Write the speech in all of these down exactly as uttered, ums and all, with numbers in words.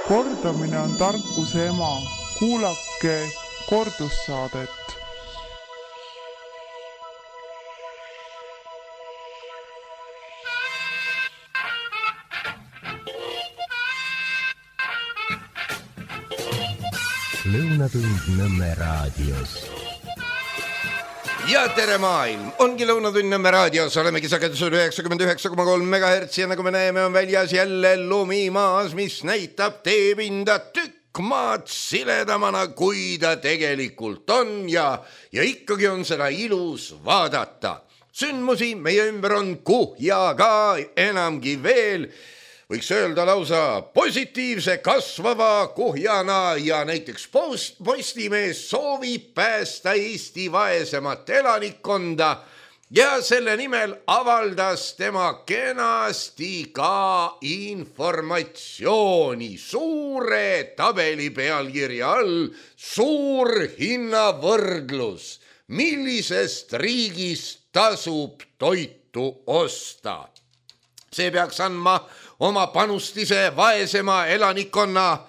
Kordamine on tarkuse ema. Kuulake kordussaadet. Lõunatund Nõmme raadios. Ja tere maailm! Ongi Lõunatund Nõmme raadios. Olemegi sagedusel üheksakümmend üheksa koma kolm megahertsi ja nagu me näeme on väljas jälle lumimaas, mis näitab teepinda tükk maad siledamana, kui ta tegelikult on ja, ja ikkagi on seda ilus vaadata. Sündmusi meie ümber on kuhjaga enamgi veel. Võiks öelda lausa positiivse kasvava kuhjana ja näiteks post, Postimees soovib päästa Eesti vaesemat elanikkonda ja selle nimel avaldas tema kenasti ka informatsiooni suure tabeli pealkirja all suur hinnavõrdlus, millisest riigist tasub toitu osta. See peaks andma oma panustise vaesema elanikkonna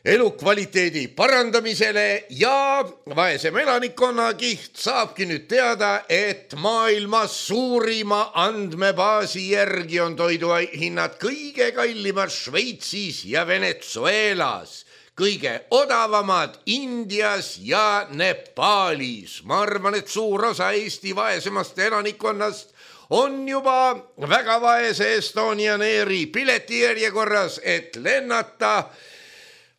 elukvaliteedi parandamisele ja vaesem elanikkonna kiht saabki nüüd teada, et maailma suurima andmebaasi järgi on toiduhinnad kõige kallimad Šveitsis ja Venezuelas, kõige odavamad Indias ja Nepaalis. Ma arvan, et suur osa Eesti vaesemast elanikkonnast on juba väga vaese Estonian Airi piletijärjekorras, et lennata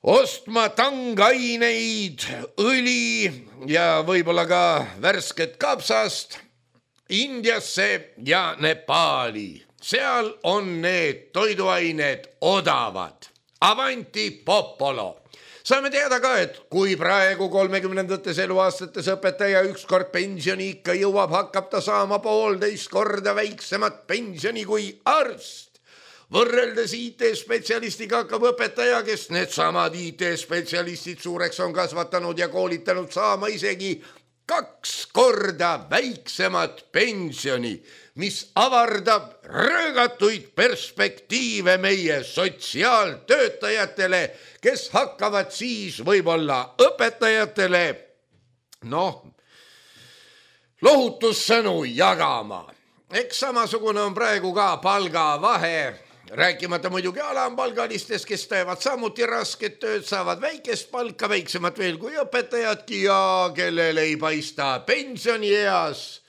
ostma tangaineid, õli ja võib-olla ka värsket kapsast Indiasse ja Nepaali. Seal on need toiduained odavad. Avanti popolo. Saame teada ka, et kui praegu kolmekümnendates eluaastates õpetaja ükskord pensioni ikka jõuab, hakkab ta saama poolteist korda väiksemat pensioni kui arst. Võrreldes I T-spetsialistiga hakkab õpetaja, kes needsamad I T-spetsialistid suureks on kasvatanud ja koolitanud, saama isegi kaks korda väiksemat pensioni, mis avardab röögatuid perspektiive meie sotsiaaltöötajatele, kes hakkavad siis võib-olla õpetajatele noh, lohutussõnu jagama. Eks samasugune on praegu ka palgavahe, rääkimata muidugi alampalgalistest, kes teevad samuti rasket tööd, saavad väikest palka, väiksemat veel kui õpetajadki ja kellel ei paista pensionieas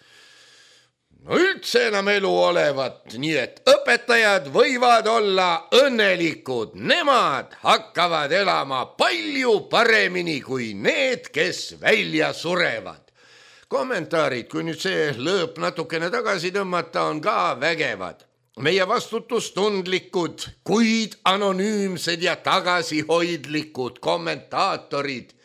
no üldse enam elu olevat, nii et õpetajad võivad olla õnnelikud. Nemad hakkavad elama palju paremini kui need, kes välja surevad. Kommentaarid, kui nüüd see lõõp natukene tagasi tõmmata, on ka vägevad. Meie vastutustundlikud, kuid anonüümsed ja tagasihoidlikud kommentaatorid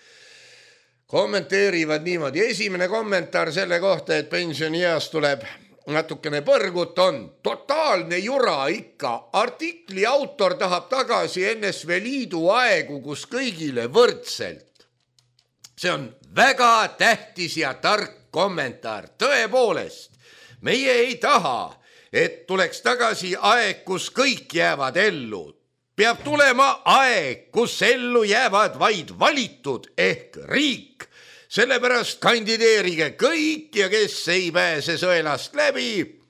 kommenteerivad niimoodi. Esimene kommentaar selle kohta, et pensionieas tuleb natukene põrgut, on totaalne jura ikka. Artikli autor tahab tagasi N S V Liidu aegu, kus kõigile võrdselt. See on väga tähtis ja tark kommentaar. Tõepoolest, meie ei taha, et tuleks tagasi aeg, kus kõik jäävad ellu. Peab tulema aeg, kus ellu jäävad vaid valitud ehk riik. Sellepärast kandideerige kõik ja kes ei pääse sõelast läbi,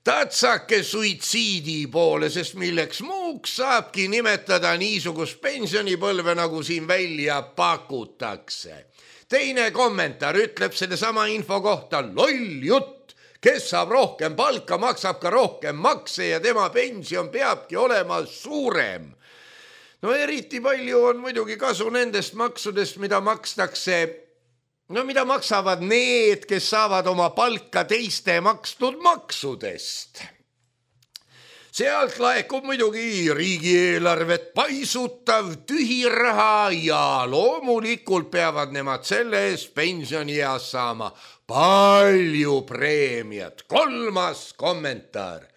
tatsake suitsiidi poole, sest milleks muuks saabki nimetada niisugust pensionipõlve, nagu siin välja pakutakse. Teine kommentaar ütleb selle sama info kohta loll jutt, kes saab rohkem palka, maksab ka rohkem makse ja tema pension peabki olema suurem. No eriti palju on muidugi kasu nendest maksudest, mida makstakse, no mida maksavad need, kes saavad oma palka teiste makstud maksudest. Sealt laekub muidugi riigieelarvet paisutav tühiraha ja loomulikult peavad nemad selle eest pensionieas saama palju preemiat. Kolmas kommentaar.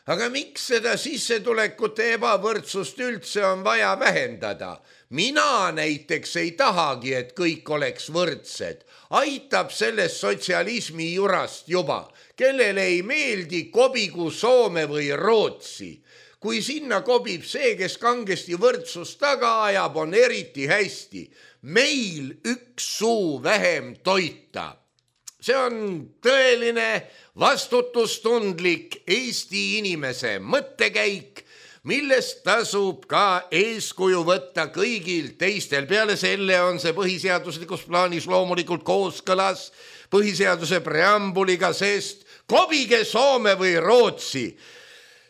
Aga miks seda sissetulekute ebavõrdsust üldse on vaja vähendada? Mina näiteks ei tahagi, et kõik oleks võrdsed. Aitab sellest sotsialismi jurast juba, kellele ei meeldi kobigu Soome või Rootsi. kui sinna kobib see, kes kangesti võrdsust taga ajab, on eriti hästi. Meil üks suu vähem toita. See on tõeline vastutustundlik Eesti inimese mõttekäik, millest tasub ka eeskuju võtta kõigil teistel. Peale selle on see põhiseaduslikus plaanis loomulikult kooskõlas põhiseaduse preambuliga, sest kobige Soome või Rootsi.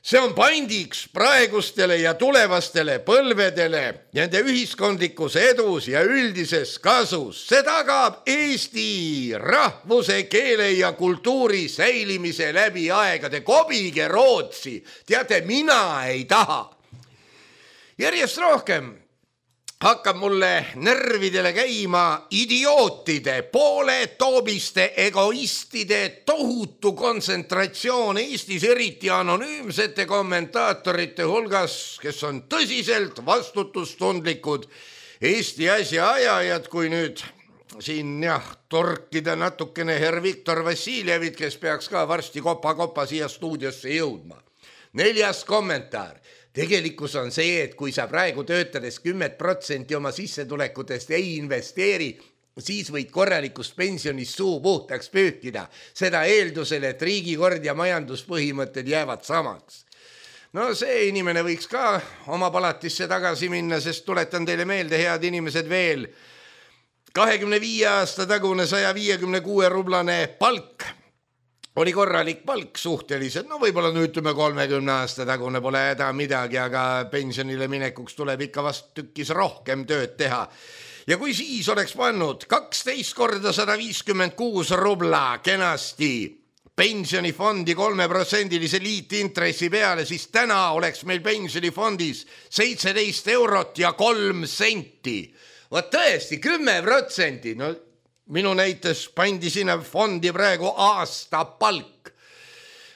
See on pandiks praegustele ja tulevastele põlvedele, nende ühiskondlikus edus ja üldises kasus. See tagab Eesti rahvuse, keele ja kultuuri säilimise läbi aegade. Kobige Rootsi. Teate, mina ei taha. Järjest rohkem hakkab mulle närvidele käima idiootide, pooletoobiste, egoistide tohutu kontsentratsioon Eestis, eriti anonüümsete kommentaatorite hulgas, kes on tõsiselt vastutustundlikud Eesti asja ajajad. Kui nüüd siin jah, torkida natukene herr Viktor Vassiljevit, kes peaks ka varsti kopa-kopa siia stuudiosse jõudma. Neljas kommentaar. Tegelikkus on see, et kui sa praegu töötades kümmet protsenti oma sissetulekutest ei investeeri, siis võid korralikust pensionist suu puhtaks pühkida. Seda eeldusel, et riigikord ja majanduspõhimõtted jäävad samaks. No see inimene võiks ka oma palatisse tagasi minna, sest tuletan teile meelde, head inimesed, veel kahekümne viie aasta tagune saja viiekümne kuue rublane palk oli korralik palk suhteliselt, no võib-olla nüüd ütleme kolmekümne aasta tagune pole häda midagi, aga pensionile minekuks tuleb ikka vast tükkis rohkem tööd teha. Ja kui siis oleks pannud kaksteist korda sada viiskümmend kuus rubla kenasti pensionifondi kolmeprotsendilise liitintressi peale, siis täna oleks meil pensionifondis seitseteist eurot ja kolm senti. Vaat tõesti, kümme protsenti, no minu näites pandi sinna fondi praegu aasta palk.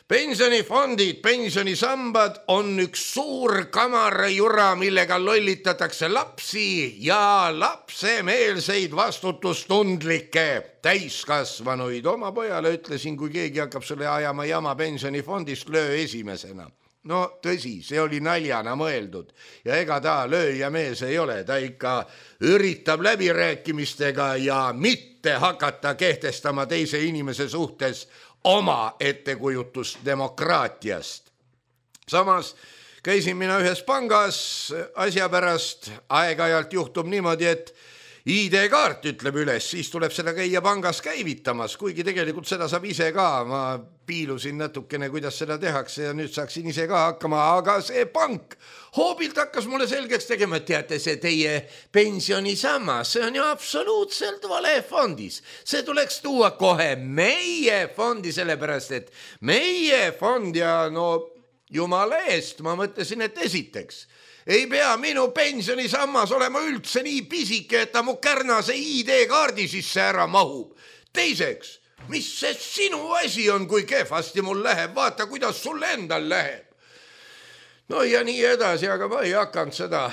Pensionifondid, pensionisambad on üks suur kamarajura, millega lollitatakse lapsi ja lapsemeelseid vastutustundlikke täiskasvanuid. Oma pojale ütlesin, kui keegi hakkab selle ajama jama pensionifondist, löö esimesena. No tõsi, see oli naljana mõeldud ja ega ta lööja mees ei ole, ta ikka üritab läbirääkimistega ja mitte hakata kehtestama teise inimese suhtes oma ettekujutust demokraatiast. Samas käisin mina ühes pangas asja pärast, aeg-ajalt juhtub niimoodi, et I D-kaart ütleb üles, siis tuleb seda käia pangas käivitamas, kuigi tegelikult seda saab ise ka. Ma piilusin natukene, kuidas seda tehakse ja nüüd saaksin ise ka hakkama, aga see pank hoobilt hakkas mulle selgeks tegema, et teate, see teie pensionisammas, see on ju absoluutselt vale fondis. See tuleks tuua kohe meie fondi, sellepärast et meie fond ja no jumala eest, ma mõtlesin, et esiteks ei pea minu pensionisammas olema üldse nii pisike, et ta mu kärnase I D-kaardi sisse ära mahub. Teiseks, mis see sinu asi on, kui kehvasti mul läheb? Vaata, kuidas sul endal läheb. No ja nii edasi, aga ma ei hakanud seda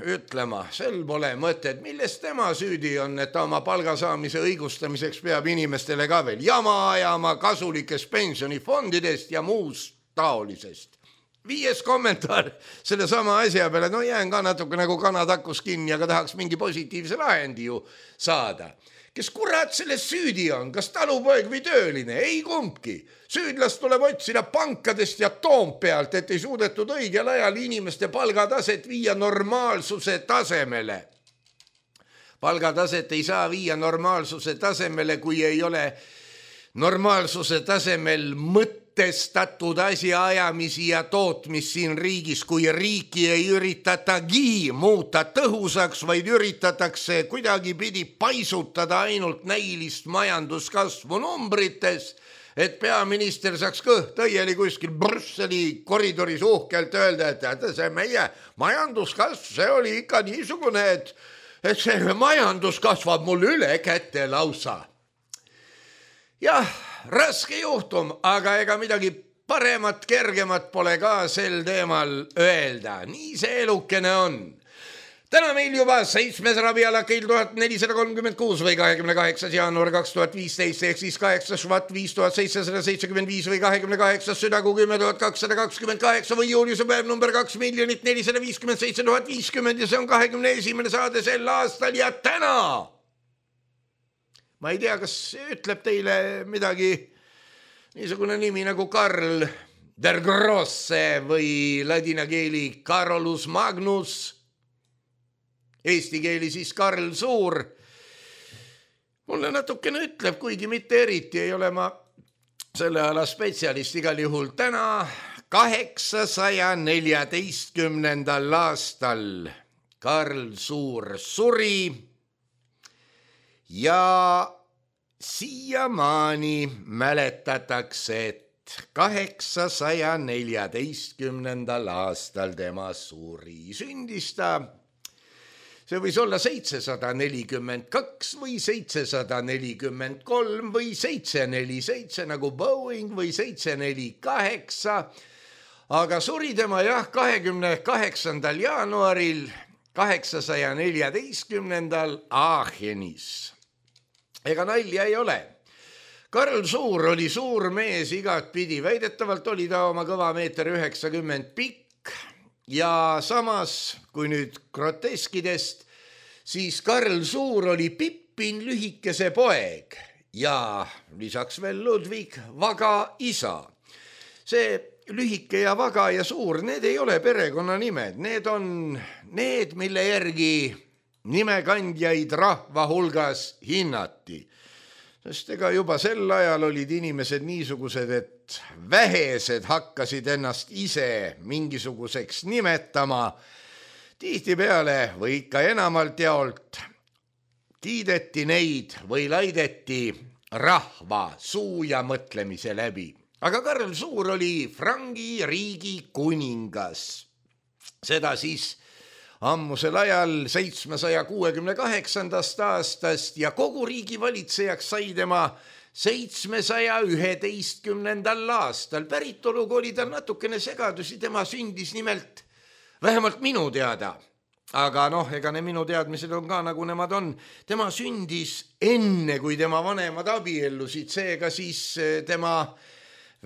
ütlema. Sel pole mõtet, millest tema süüdi on, et ta oma palgasaamise õigustamiseks peab inimestele ka veel jama ajama kasulikest pensionifondidest ja muust taolisest. Viies kommentaar selle sama asja peale, no jään ka natuke nagu kanatakus kinni, aga tahaks mingi positiivse lahendi ju saada. Kes kurat selles süüdi on, kas talupoeg või tööline? Ei kumbki. Süüdlast tuleb otsida pankadest ja Toompealt, et ei suudetud õigel ajal inimeste palgataset viia normaalsuse tasemele. Palgataset ei saa viia normaalsuse tasemele, kui ei ole normaalsuse tasemel mõtte testatud asja ajamisi ja tootmis siin riigis, kui riiki ei üritatagi muuta tõhusaks, vaid üritatakse kuidagi pidi paisutada ainult näilist majanduskasvu numbrites, et peaminister saaks kõht õieli kuskil Brüsseli koridoris uhkelt öelda, et see meie majanduskasv, see oli ikka niisugune, et, et see majandus kasvab mul üle kätte lausa. Jah, raske juhtum, aga ega midagi paremat, kergemat pole ka sel teemal öelda. Nii see elukene on. täna meil juba seitsmes rabialakeil tuhat nelisada kolmkümmend kuus või kahekümne kaheksas jaanuar kaks tuhat viisteist ehk siis kaheksas švat viis tuhat seitsesada seitsekümmend viis või kahekümne kaheksas südakuu kümme tuhat kakssada kakskümmend kaheksa või juuliuse päev number kaks miljonit nelisada viiskümmend seitse tuhat viiskümmend ja see on kahekümne esimene saade sel aastal ja täna ma ei tea, kas ütleb teile midagi niisugune nimi nagu Karl der Grosse või ladina keeli Carolus Magnus, eesti keeli siis Karl Suur. Mulle natukene ütleb, kuigi mitte eriti ei ole ma selle ala spetsialist igal juhul. Täna kaheksasaja neljateistkümnendal aastal Karl Suur suri ja siiamaani mäletatakse, et kaheksasaja neljateistkümnendal aastal tema suri. Sündis ta see võis olla seitsesada nelikümmend kaks või seitsesada nelikümmend kolm või seitse neli seitse nagu Boeing või seitse neli kaheksa, aga suri tema jah kahekümne kaheksandal jaanuaril kaheksasaja neljateistkümnendal Aachenis. Ega nalja ei ole. Karl Suur oli suur mees igat pidi, väidetavalt oli ta oma kõva meeter üheksakümmend pikk. Ja samas, kui nüüd groteskidest, siis Karl Suur oli Pippin lühikese poeg ja lisaks veel Ludwig Vaga isa. See lühike ja Vaga ja Suur, need ei ole perekonnanimed, need on need, mille järgi nimekandjaid rahva hulgas hinnati. Sest ega juba sel ajal olid inimesed niisugused, et vähesed hakkasid ennast ise mingisuguseks nimetama. Tihtipeale või ikka enamalt jaolt kiideti neid või laideti rahva suu ja mõtlemise läbi. Aga Karl Suur oli Frangi riigi kuningas. Seda siis ammusel ajal seitsmesaja kuuekümne kaheksandast aastast ja kogu riigi valitsejaks sai tema seitsmesaja üheteistkümnendal aastal. Päritoluga oli tal natukene segadusi, tema sündis nimelt vähemalt minu teada. Aga noh, ega ne minu teadmised on ka nagu nemad on. Tema sündis enne, kui tema vanemad abiellusid, seega siis tema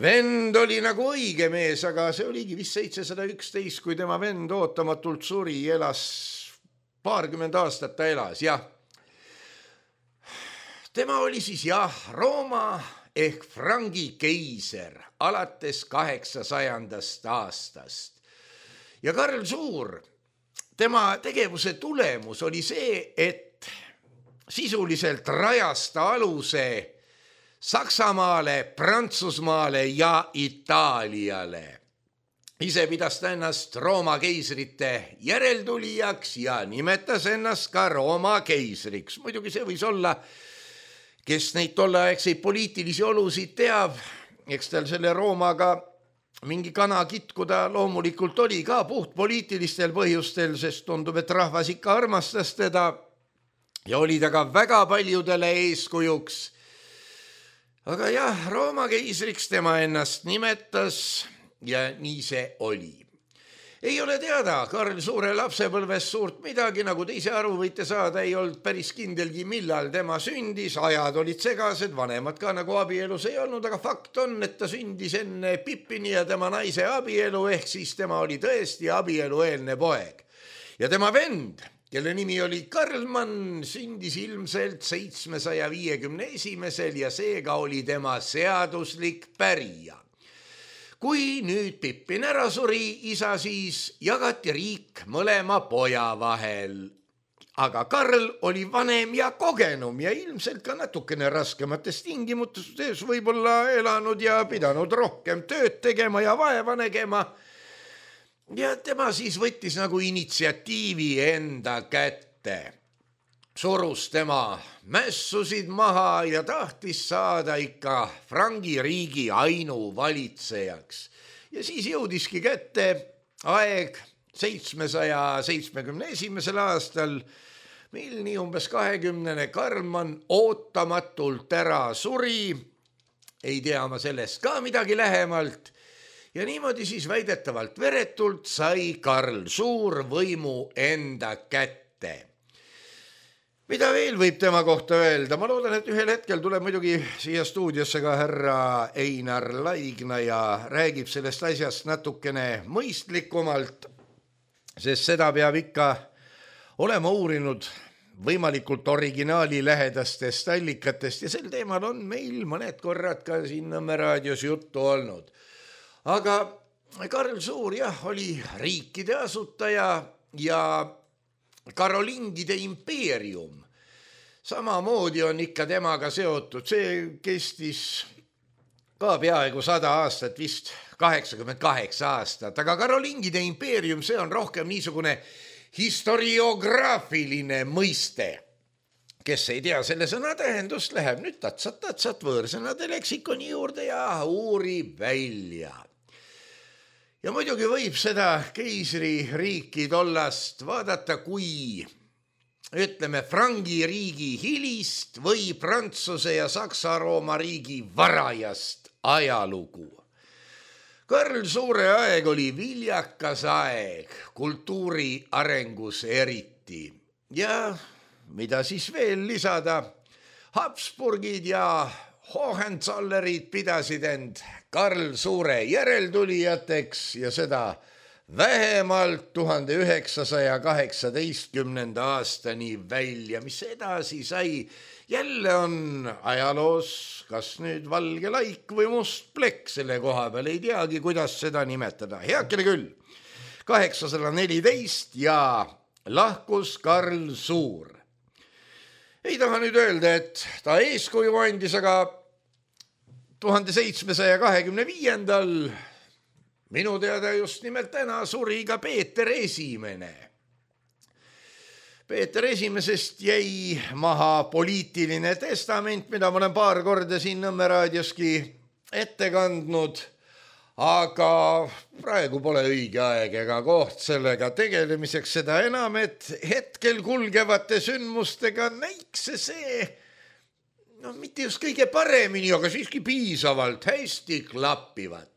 vend oli nagu õige mees, aga see oligi vist seitsesada üksteist, kui tema vend ootamatult suri, elas paarkümmend aastat ta elas, jah. Tema oli siis jah, Rooma ehk Frangi keiser alates kaheksasajandast aastast. Ja Karl Suur, tema tegevuse tulemus oli see, et sisuliselt rajas ta aluse Saksamaale, Prantsusmaale ja Itaaliale. Ise pidas ta ennast Rooma keisrite järeltulijaks ja nimetas ennast ka Rooma keisriks. Muidugi see võis olla, kes neid tolleaegseid poliitilisi olusid teab, eks tal selle Roomaga mingi kana kitkuda loomulikult oli ka puht poliitilistel põhjustel, sest tundub, et rahvas ikka armastas teda ja oli ta ka väga paljudele eeskujuks. Aga jah, Rooma keisriks tema ennast nimetas ja nii see oli. Ei ole teada Karl Suure lapsepõlves suurt midagi, nagu te ise aru võite saada, ei olnud päris kindelgi, millal tema sündis, ajad olid segased, vanemad ka nagu abielus ei olnud, aga fakt on, et ta sündis enne Pippini ja tema naise abielu, ehk siis tema oli tõesti abielueelne poeg. Ja tema vend, kelle nimi oli Karlmann, sündis ilmselt seitsmesaja viiekümne esimesel ja seega oli tema seaduslik pärija. Kui nüüd Pippin ära suri, isa siis jagati riik mõlema poja vahel. Aga Karl oli vanem ja kogenum ja ilmselt ka natukene raskemates tingimustes võib-olla elanud ja pidanud rohkem tööd tegema ja vaeva nägema. Ja tema siis võttis nagu initsiatiivi enda kätte. Surus tema mässusid maha ja tahtis saada ikka Frangi riigi ainuvalitsejaks. Ja siis jõudiski kätte aeg seitsmesaja seitsmekümne esimesel aastal, mil nii umbes kahekümnene Karlmann ootamatult ära suri. Ei tea ma sellest ka midagi lähemalt. Ja niimoodi siis väidetavalt veretult sai Karl Suur võimu enda kätte. Mida veel võib tema kohta öelda? Ma loodan, et ühel hetkel tuleb muidugi siia stuudiosse ka härra Einar Laigna ja räägib sellest asjast natukene mõistlikumalt, sest seda peab ikka olema uurinud võimalikult originaali lähedastest allikatest ja sel teemal on meil mõned korrad ka siin Nõmme raadios juttu olnud. Aga Karl Suur jah, oli riikide asutaja ja Karolingide impeerium. Samamoodi on ikka temaga seotud. See kestis ka peaaegu sada aastat, vist kaheksakümmend kaheksa aastat, aga Karolingide impeerium, see on rohkem niisugune historiograafiline mõiste. Kes ei tea selle sõna tähendust, läheb nüüd tatsat-tatsat võõrsõnade leksikoni juurde ja uurib välja. Ja muidugi võib seda keisririiki tollast vaadata kui, ütleme, Frangi riigi hilist või Prantsuse ja Saksa-Rooma riigi varajast ajalugu. Karl Suure aeg oli viljakas aeg, kultuuri arengus eriti. Ja mida siis veel lisada? Habsburgid ja Hohenzollerid pidasid end Karl Suure järeltulijateks ja seda vähemalt tuhande üheksasaja kaheksateistkümnenda aastani välja. Mis edasi sai? Jälle on ajaloos kas nüüd valge laik või must plekk selle koha peal, ei teagi, kuidas seda nimetada. Heakene küll, kaheksasada neliteist ja lahkus Karl Suur. Ei taha nüüd öelda, et ta eeskuju andis, aga tuhande seitsmesaja kahekümne viiendal minu teada just nimelt täna suri ka Peeter Esimene. Peeter Esimesest jäi maha poliitiline testament, mida ma olen paar korda siin Nõmme raadioski ette kandnud, aga praegu pole õige aeg ega koht sellega tegelemiseks, seda enam, et hetkel kulgevate sündmustega näiks see, no mitte just kõige paremini, aga siiski piisavalt hästi klappivat.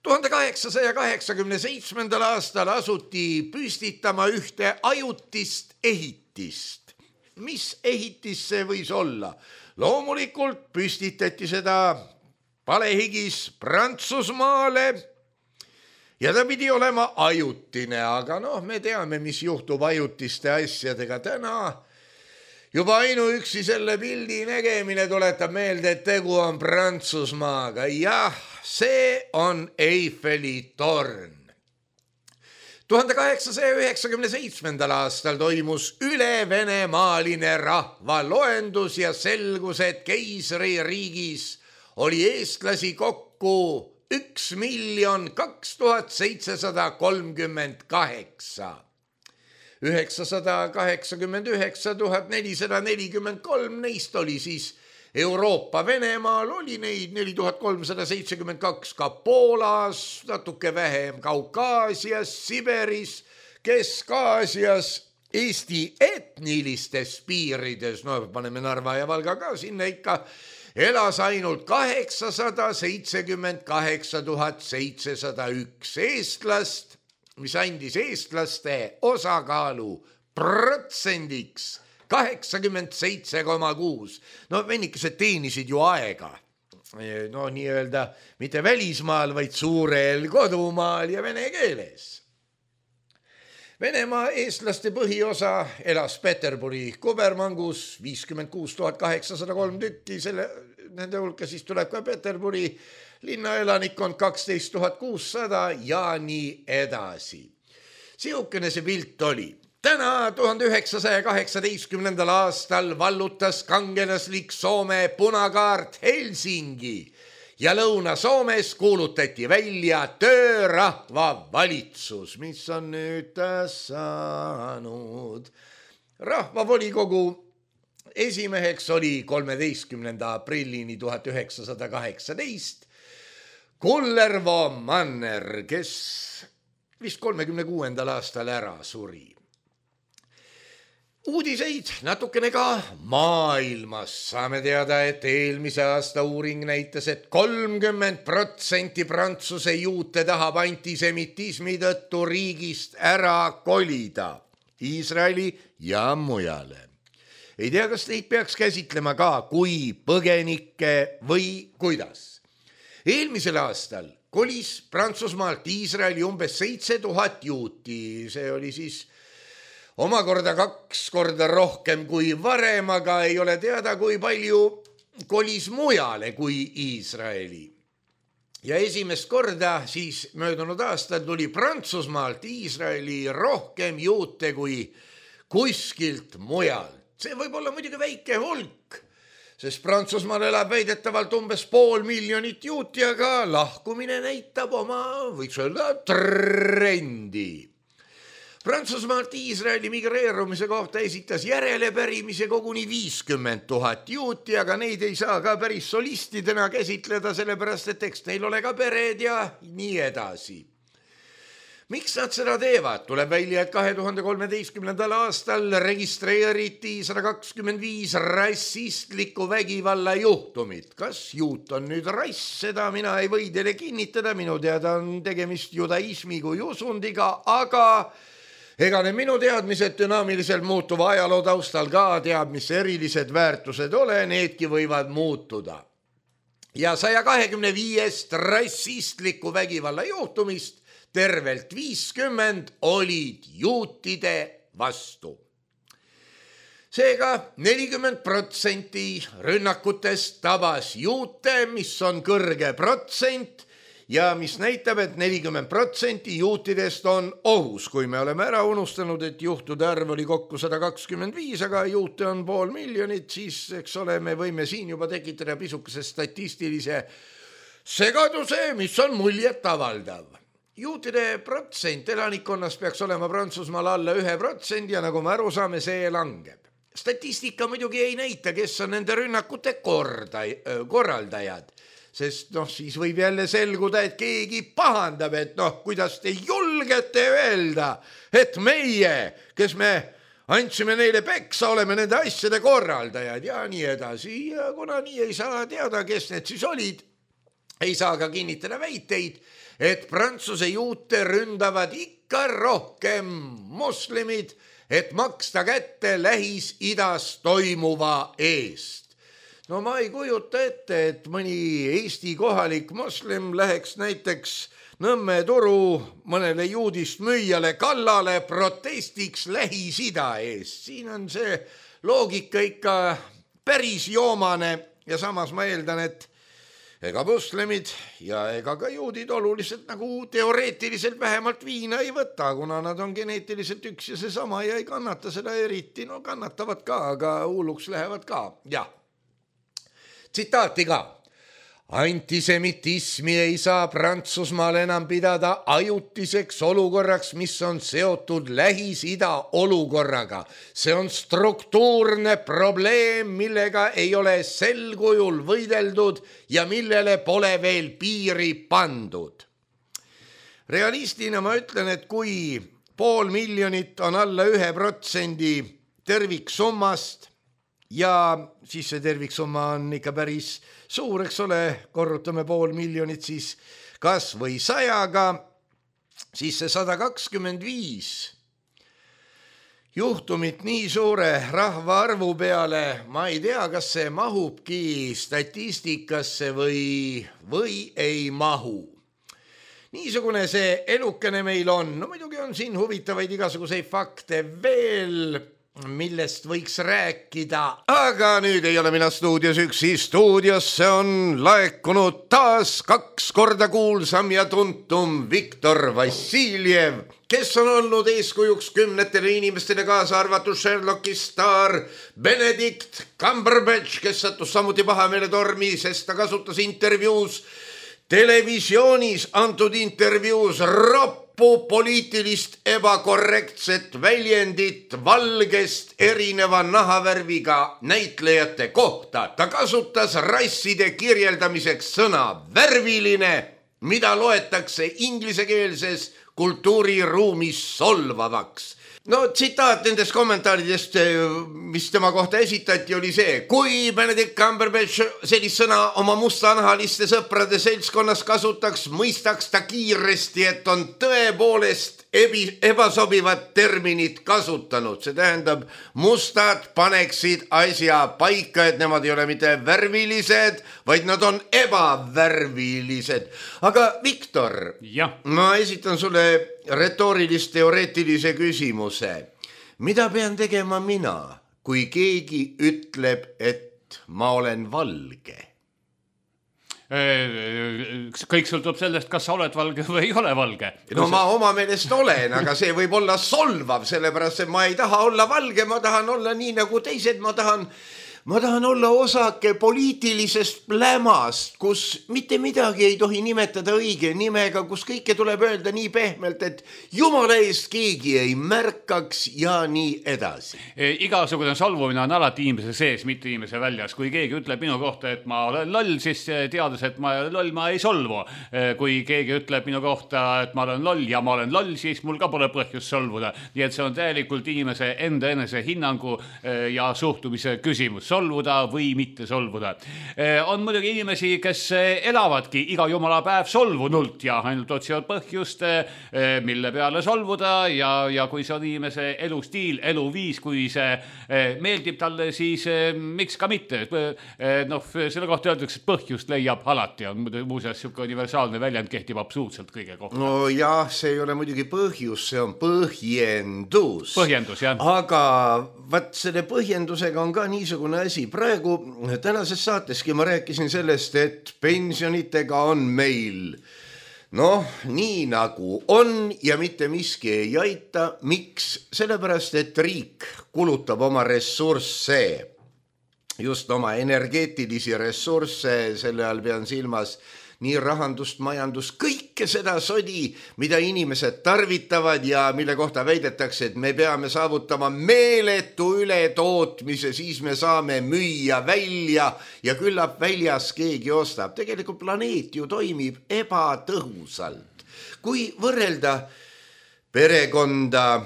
tuhande kaheksasaja kaheksakümne seitsmendal aastal asuti püstitama ühte ajutist ehitist. Mis ehitis see võis olla? Loomulikult püstitati seda palehigis Prantsusmaale ja ta pidi olema ajutine, aga noh, me teame, mis juhtub ajutiste asjadega täna. Juba ainuüksi selle pildi nägemine tuletab meelde, et tegu on Prantsusmaaga. Jah, see on Eiffeli torn. tuhande kaheksasaja üheksakümne seitsmendal aastal toimus ülevenemaaline rahvaloendus ja selgus, et keisririigis oli eestlasi kokku üks miljon kaks tuhat seitsesada kolmkümmend kaheksa. üheksasada kaheksakümmend üheksa tuhat nelisada nelikümmend kolm, neist oli siis Euroopa Venemaal, oli neid neli tuhat kolmsada seitsekümmend kaks ka Poolas, natuke vähem Kaukaasias, Siberis, Kesk-Aasias, Eesti etnilistes piirides, no paneme Narva ja Valga ka sinna ikka, elas ainult kaheksasada seitsekümmend kaheksa tuhat seitsesada üks eestlast, mis andis eestlaste osakaalu protsendiks kaheksakümmend seitse koma kuus. No vennikesed teenisid ju aega. No nii-öelda mitte välismaal, vaid suurel kodumaal ja vene keeles. Venemaa eestlaste põhiosa elas Peterburi kubermangus viiskümmend kuus tuhat kaheksasada kolm tükki, selle, nende hulka siis tuleb ka Peterburi linnaelanikkond kaksteist tuhat kuussada ja nii edasi. Siukene see pilt oli. Täna tuhande üheksasaja kaheksateistkümnendal aastal vallutas kangelaslik Soome punakaart Helsingi ja Lõuna-Soomes kuulutati välja töörahva valitsus, mis on nüüd saanud. Rahvavolikogu esimeheks oli kolmeteistkümnenda aprillini tuhat üheksasada kaheksateist Kullervo Manner, kes vist kolmekümne kuuendal aastal ära suri. Uudiseid natukene ka maailmas. Saame teada, et eelmise aasta uuring näitas, et kolmkümmend protsenti Prantsuse juute tahab antisemitismi tõttu riigist ära kolida Iisraeli ja mujale. Ei tea, kas neid peaks käsitlema ka kui põgenikke või kuidas. Eelmisel aastal kolis Prantsusmaalt Iisraeli umbes seitse tuhat juuti. See oli siis omakorda kaks korda rohkem kui varem, aga ei ole teada, kui palju kolis mujale kui Iisraeli. Ja esimest korda siis möödunud aastal tuli Prantsusmaalt Iisraeli rohkem juute kui kuskilt mujalt. See võib olla muidugi väike hulk, sest Prantsusmaal elab väidetavalt umbes pool miljonit juuti, aga lahkumine näitab oma, võiks öelda, trendi. Prantsusmaalt Iisraeli migreerumise kohta esitas järelepärimise koguni viiskümmend tuhat juuti, aga neid ei saa ka päris solistidena käsitleda, sellepärast et eks neil ole ka pered ja nii edasi. Miks nad seda teevad? Tuleb välja, et kahe tuhande kolmeteistkümnendal aastal registreeriti sada kakskümmend viis rassistliku vägivalla juhtumit. Kas juut on nüüd rass? Seda mina ei või teile kinnitada, minu teada on tegemist judaismi kui usundiga, aga ega ne minu teadmised dünaamiliselt muutuva ajaloo taustal ka teab, mis erilised väärtused ole, needki võivad muutuda. Ja saja kahekümne viiest rassistliku vägivalla juhtumist tervelt viiskümmend olid juutide vastu. Seega nelikümmend protsenti rünnakutest tabas juute, mis on kõrge protsent ja mis näitab, et nelikümmend protsenti juutidest on ohus. Kui me oleme ära unustanud, et juhtude arv oli kokku sada kakskümmend viis, aga juute on pool miljonit, siis eks ole, me võime siin juba tekitada pisukese statistilise segaduse, mis on muljet avaldav. Juutide protsent elanikkonnast peaks olema Prantsusmaal alla ühe protsendi ja nagu me aru saame, see langeb. Statistika muidugi ei näita, kes on nende rünnakute korda, korraldajad, sest noh, siis võib jälle selguda, et keegi pahandab, et noh, kuidas te julgete öelda, et meie, kes me andsime neile peksa, oleme nende asjade korraldajad ja nii edasi. Ja kuna nii ei saa teada, kes need siis olid, ei saa ka kinnitada väiteid, et Prantsuse juute ründavad ikka rohkem moslemid, et maksta kätte Lähis-Idas toimuva eest. No ma ei kujuta ette, et mõni Eesti kohalik moslem läheks näiteks Nõmme turu mõnele juudist müüjale kallale protestiks Lähis-Ida eest. Siin on see loogika ikka päris joomane ja samas ma eeldan, et ega moslemid ja ega ka juudid oluliselt nagu teoreetiliselt vähemalt viina ei võta, kuna nad on geneetiliselt üks ja seesama ja ei kannata seda eriti. No kannatavad ka, aga hulluks lähevad ka. Jah, tsitaati ka. Antisemitismi ei saa Prantsusmaal enam pidada ajutiseks olukorraks, mis on seotud Lähis-Ida olukorraga. See on struktuurne probleem, millega ei ole sel kujul võideldud ja millele pole veel piiri pandud. Realistina ma ütlen, et kui pool miljonit on alla ühe protsendi terviksummast ja siis see terviksumma on ikka päris suur, eks ole, korrutame pool miljonit siis kas või sajaga, siis see sada kakskümmend viis juhtumit nii suure rahvaarvu peale, ma ei tea, kas see mahubki statistikasse või, või ei mahu. Niisugune see elukene meil on, no muidugi on siin huvitavaid igasuguseid fakte veel, millest võiks rääkida, aga nüüd ei ole mina stuudios üksi. Stuudiosse on laekunud taas kaks korda kuulsam ja tuntum Viktor Vassiljev, kes on olnud eeskujuks kümnetele inimestele, kaasa arvatud Sherlocki staar Benedict Cumberbatch, kes sattus samuti pahameele tormi, sest ta kasutas intervjuus, televisioonis antud intervjuus roppu poliitilist ebakorrektset väljendit valgest erineva nahavärviga näitlejate kohta. Ta kasutas rasside kirjeldamiseks sõna värviline, mida loetakse inglisekeelses kultuuriruumis solvavaks. no tsitaat nendest kommentaaridest, mis tema kohta esitati, oli see: kui Benedict Cumberbatch sellist sõna oma mustanahaliste sõprade seltskonnas kasutaks, mõistaks ta kiiresti, et on tõepoolest ebi, ebasobivat terminit kasutanud. See tähendab, mustad paneksid asja paika, et nemad ei ole mitte värvilised, vaid nad on ebavärvilised. Aga Viktor, ja. ma esitan sulle retoorilist teoreetilise küsimuse. Mida pean tegema mina, kui keegi ütleb, et ma olen valge? Kõik sõltub sellest, kas sa oled valge või ei ole valge. No ma oma meelest olen, aga see võib olla solvav, sellepärast et ma ei taha olla valge, ma tahan olla nii nagu teised, ma tahan... Ma tahan olla osake poliitilisest plämast, kus mitte midagi ei tohi nimetada õige nimega, kus kõike tuleb öelda nii pehmelt, et jumala eest keegi ei märkaks ja nii edasi. Igasugune solvumine on alati inimese sees, mitte inimese väljas. Kui keegi ütleb minu kohta, et ma olen loll, siis teades, et ma olen loll, ma ei solvu. Kui keegi ütleb minu kohta, et ma olen loll ja ma olen loll, siis mul ka pole põhjust solvuda. Nii et see on täielikult inimese enda enese hinnangu ja suhtumise küsimus. Solvuda või mitte solvuda. On muidugi inimesi, kes elavadki iga jumala päev solvunult ja ainult otsivad põhjust, mille peale solvuda ja, ja kui see on inimese elustiil, eluviis, kui see meeldib talle, siis miks ka mitte. No, selle kohta öeldakse, et põhjust leiab alati. On muuseas siuke universaalne väljend, kehtib absoluutselt kõige kohta. No jah, see ei ole muidugi põhjus, see on põhjendus. Põhjendus, jah. Aga vaat selle põhjendusega on ka niisugune asi. Praegu tänases saateski ma rääkisin sellest, et pensionitega on meil noh, nii nagu on ja mitte miski ei aita. Miks? Sellepärast, et riik kulutab oma ressursse, just oma energeetilisi ressursse, selle all pean silmas nii rahandust, majandust, kõike seda sodi, mida inimesed tarvitavad ja mille kohta väidetakse, et me peame saavutama meeletu ületootmise, siis me saame müüa välja ja küllap väljas keegi ostab. Tegelikult planeet ju toimib ebatõhusalt. Kui võrrelda perekonda,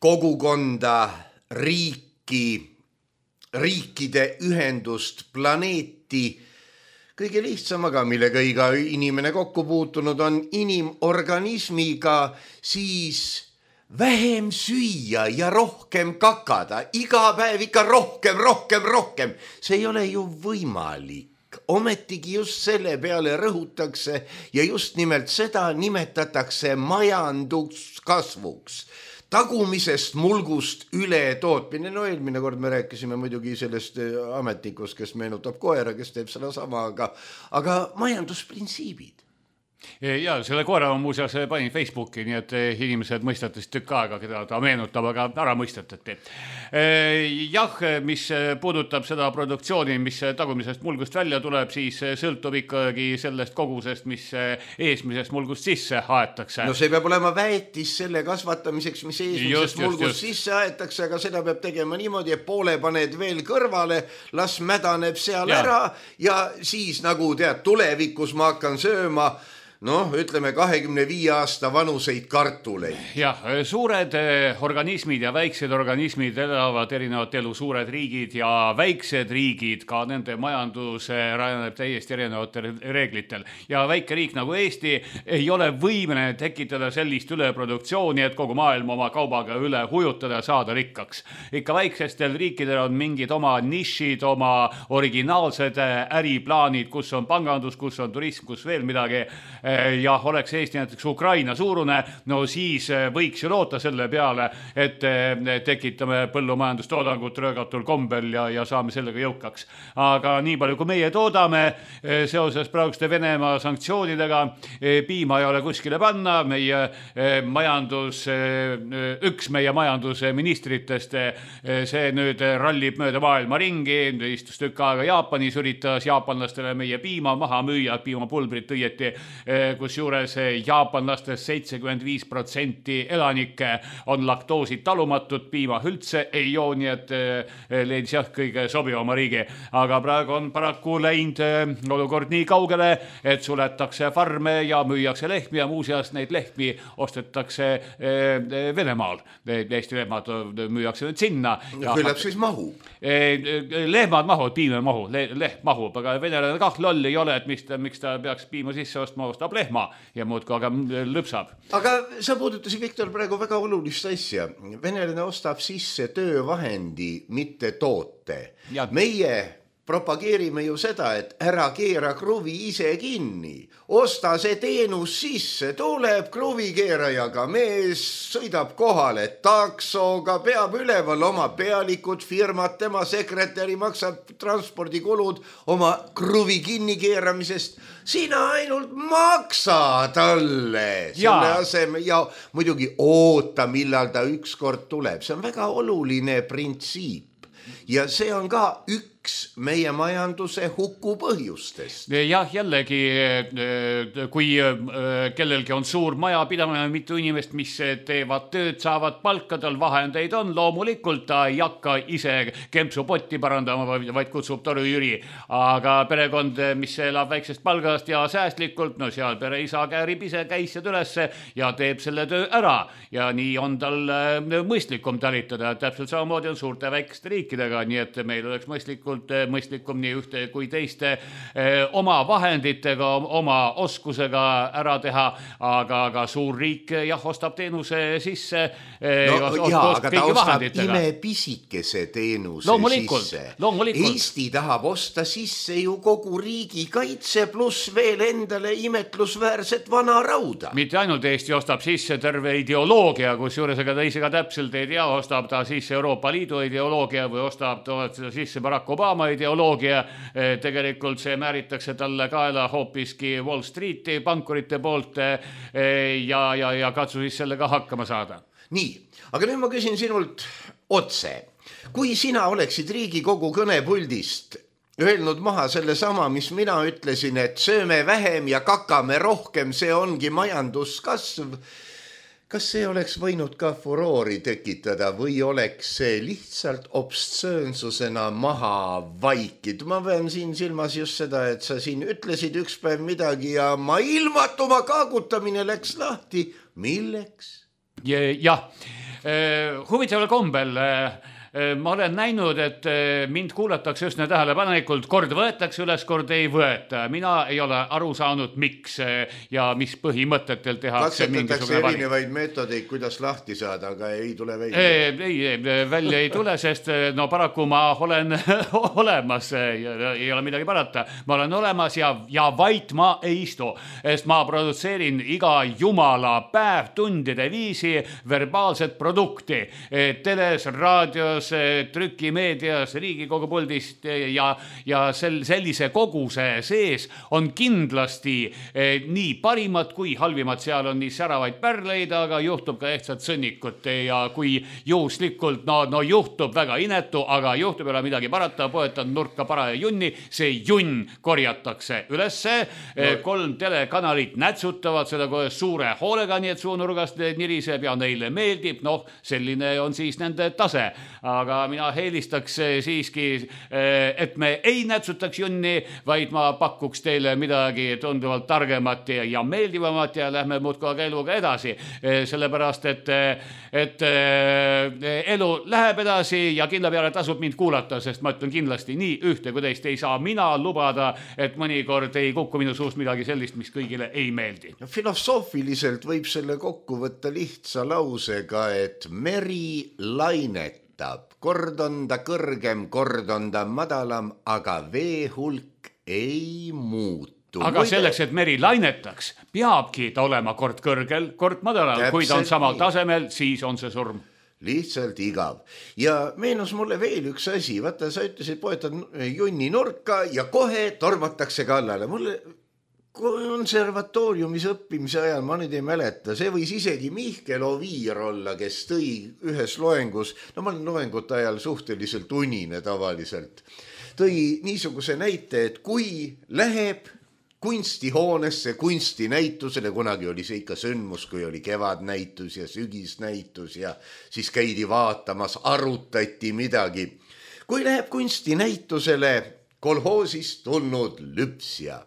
kogukonda, riiki, riikide ühendust, planeeti, kõige lihtsamaga, millega iga inimene kokku puutunud on inimorganismiga, siis vähem süüa ja rohkem kakada. Iga päev ikka rohkem, rohkem, rohkem. See ei ole ju võimalik. Ometigi just selle peale rõhutakse ja just nimelt seda nimetatakse majanduskasvuks. Tagumisest mulgust üle tootmine. No eelmine kord me rääkisime muidugi sellest ametnikust, kes meenutab koera, kes teeb seda sama, aga, aga majandusprintsiibid. Ja selle koera on muuseas panin Facebooki, nii et inimesed mõistates tükk aega, keda ta meenutab, aga ära mõistatati. Jah, mis puudutab seda produktsiooni, mis tagumisest mulgust välja tuleb, siis sõltub ikkagi sellest kogusest, mis eesmisest mulgust sisse aetakse. No see peab olema väetis selle kasvatamiseks, mis eesmisest mulgust just. sisse aetakse, aga seda peab tegema niimoodi, et poole paned veel kõrvale, las mädaneb seal ja. ära ja siis nagu tead, tulevikus ma hakkan sööma noh, ütleme kahekümne viie aasta vanuseid kartuleid. Jah, suured organismid ja väiksed organismid elavad erinevat elu, suured riigid ja väiksed riigid, ka nende majandus rajaneb täiesti erinevatel reeglitel. Ja väike riik nagu Eesti ei ole võimeline tekitada sellist üleproduktsiooni, et kogu maailm oma kaubaga üle hujutada ja saada rikkaks. Ikka väiksestel riikidel on mingid oma nišid, oma originaalsed äriplaanid, kus on pangandus, kus on turism, kus veel midagi. Ja oleks Eesti näiteks Ukraina suurune, no siis võiks ju loota selle peale, et tekitame põllumajandustoodangut röögatul kombel ja, ja saame sellega jõukaks. Aga nii palju, kui meie toodame seoses praeguste Venemaa sanktsioonidega, piima ei ole kuskile panna, meie majandus, üks meie majandusministritest, see nüüd rallib mööda maailma ringi, istus tükk aega Jaapanis, üritas jaapanlastele meie piima maha müüa, piimapulbrit õieti kus juures jaapanlastest seitsekümmend viis protsenti elanikke on laktoosi talumatud, piima üldse ei joo, nii et leidis jah kõige sobivama riigi. Aga praegu on paraku läinud olukord nii kaugele, et suletakse farme ja müüakse lehmi ja muuseas neid lehmi ostetakse Venemaal. Eesti lehmad müüakse nüüd sinna. Küllap siis mahub. Lehmad mahud, piim ei mahu, lehm mahub, aga venelane kah loll ei ole, et miks ta, miks ta peaks piima sisse ostma, ostab lehma ja muud kui aga lõpsab. Aga sa puudutasid, Viktor, praegu väga olulist asja. Venelane ostab sisse töövahendi, mitte toote. Ja. Meie propageerime ju seda, et ära keera kruvi ise kinni. Osta see teenus sisse, tuleb kruvikeerajaga mees, sõidab kohale taksoga, peab üleval oma pealikud, firmad, tema sekretäri maksab transpordikulud oma kruvi kinni keeramisest. Sina ainult maksa talle selle aseme ja muidugi oota, millal ta ükskord tuleb. See on väga oluline printsiip ja see on ka üks meie majanduse huku põhjustest. Jah, jällegi, kui kellelgi on suur maja pidamine, mitu inimest, mis teevad tööd, saavad palkadel, vahendeid on, loomulikult ta ei hakka ise kempsupotti parandama, vaid kutsub toru Jüri. Aga perekond, mis elab väiksest palgast ja säästlikult, no seal pere isa käärib ise käisjad ülesse ja teeb selle töö ära. Ja nii on tal mõistlikum talitada. Täpselt samamoodi on suurte väikeste riikidega, nii et meil oleks mõistlikult mõistlikum nii ühte kui teiste eh, oma vahenditega, oma oskusega ära teha, aga, aga suur riik jah, ostab teenuse sisse eh, no, os, jaa, aga ta ostab ime pisikese teenuse loomulikult, sisse loomulikult. Eesti tahab osta sisse ju kogu riigi kaitse pluss veel endale imetlusväärset vana rauda. Mitte ainult Eesti ostab sisse terve ideoloogia, kus juures aga ta ise ka täpselt ei tea, ostab ta sisse Euroopa Liidu ideoloogia või ostab ta sisse Barack Obama ideoloogia, tegelikult see määritakse talle kaela hoopiski Wall Streeti pankurite poolt ja, ja, ja katsu siis sellega hakkama saada. Nii, aga nüüd ma küsin sinult otse. Kui sina oleksid Riigikogu kõnepuldist öelnud maha selle sama, mis mina ütlesin, et sööme vähem ja kakame rohkem, see ongi majanduskasv, kas see oleks võinud ka furoori tekitada või oleks see lihtsalt obstsöönsusena maha vaikid? Ma pean siin silmas just seda, et sa siin ütlesid üks päev midagi ja ma ilmatuma kaagutamine läks lahti. Milleks? Jah, huvitaval kombel ma olen näinud, et mind kuulatakse üsna tähelepanelikult, kord võetakse üles, kord ei võeta. Mina ei ole aru saanud, miks ja mis põhimõtetel tehakse mingisugune valik. Erinevaid meetodeid, kuidas lahti saada, aga ei tule välja. Ei, ei, välja ei tule, sest no paraku ma olen olemas, ei ole midagi parata. Ma olen olemas ja, ja vait ma ei istu, sest ma produtseerin iga jumala päev tundide viisi verbaalset produkti. Teles, raadios, trükimeedias, Riigikogu puldist ja, ja sel, sellise koguse sees on kindlasti eh, nii parimad kui halvimad. Seal on nii säravaid pärleid, aga juhtub ka ehtsat sõnnikut ja kui juhuslikult, no, no juhtub väga inetu, aga juhtub ei ole midagi parata, poetan nurka paraja junni, see junn korjatakse ülesse, no. Kolm telekanalit nätsutavad seda kohe suure hoolega, nii et suunurgast niriseb ja neile meeldib, noh, selline on siis nende tase. Aga mina heelistaks siiski, et me ei nätsutaks junni, vaid ma pakuks teile midagi tunduvalt targemat ja meeldivamat ja lähme muudkoga eluga edasi. Sellepärast, et, et elu läheb edasi ja kindla peale tasub mind kuulata, sest ma ütlen kindlasti nii ühte kui teist ei saa mina lubada, et mõnikord ei kukku minu suust midagi sellist, mis kõigile ei meeldi. Filosoofiliselt võib selle kokku võtta lihtsa lausega, et meri lainet. Kord on ta kõrgem, kord on ta madalam, aga vee hulk ei muutu. Aga Muide... selleks, et meri lainetaks, peabki ta olema kord kõrgel, kord madalam. Täpselt kui ta on samal nii. Tasemel, siis on see surm. Lihtsalt igav. Ja meenus mulle veel üks asi. Vaata, sa ütlesid, poetad junni nurka ja kohe tormatakse kallale. Mulle... konservatooriumis õppimise ajal, ma nüüd ei mäleta, see võis isegi Mihkel Oviir olla, kes tõi ühes loengus, no ma olen loengute ajal suhteliselt unine tavaliselt, tõi niisuguse näite, et kui läheb kunstihoonesse, kunstinäitusele, kunagi oli see ikka sündmus, kui oli kevadnäitus ja sügisnäitus ja siis käidi vaatamas, arutati midagi. Kui läheb kunstinäitusele kolhoosist tulnud lüpsja.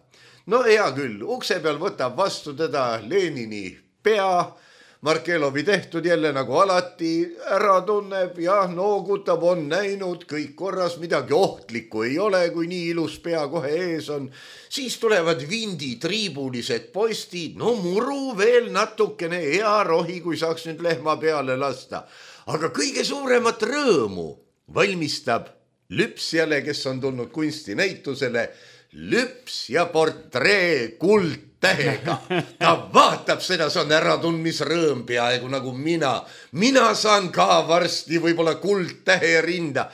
No hea küll, ukse peal võtab vastu teda Lenini pea, Markelovi tehtud jälle nagu alati, ära tunneb ja noogutab, on näinud, kõik korras, midagi ohtlikku ei ole, kui nii ilus pea kohe ees on. Siis tulevad vindi triibulised postid, no muru veel natukene, hea rohi, kui saaks nüüd lehma peale lasta. Aga kõige suuremat rõõmu valmistab lüpsjale, kes on tulnud kunstinäitusele, lüps ja portree kuldtähega. Ta vaatab seda, see on äratundmisrõõm peaaegu nagu mina. Mina saan ka varsti võib-olla kuldtähe rinda.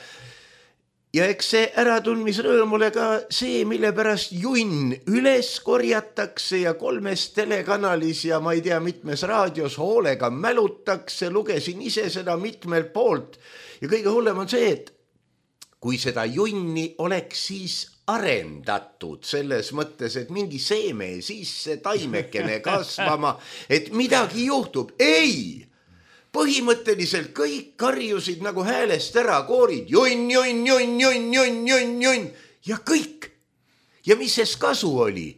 Ja eks see äratundmisrõõm ole ka see, mille pärast junn üles korjatakse ja kolmes telekanalis ja ma ei tea mitmes raadios hoolega mälutakse. Lugesin ise seda mitmelt poolt ja kõige hullem on see, et kui seda junni oleks siis arendatud selles mõttes, et mingi seeme sisse taimekene kasvama, et midagi juhtub. Ei! Põhimõtteliselt kõik karjusid nagu häälest ära koorid. Junn, junn, junn, junn, junn, junn, junn. Ja kõik. Ja mis ses kasu oli?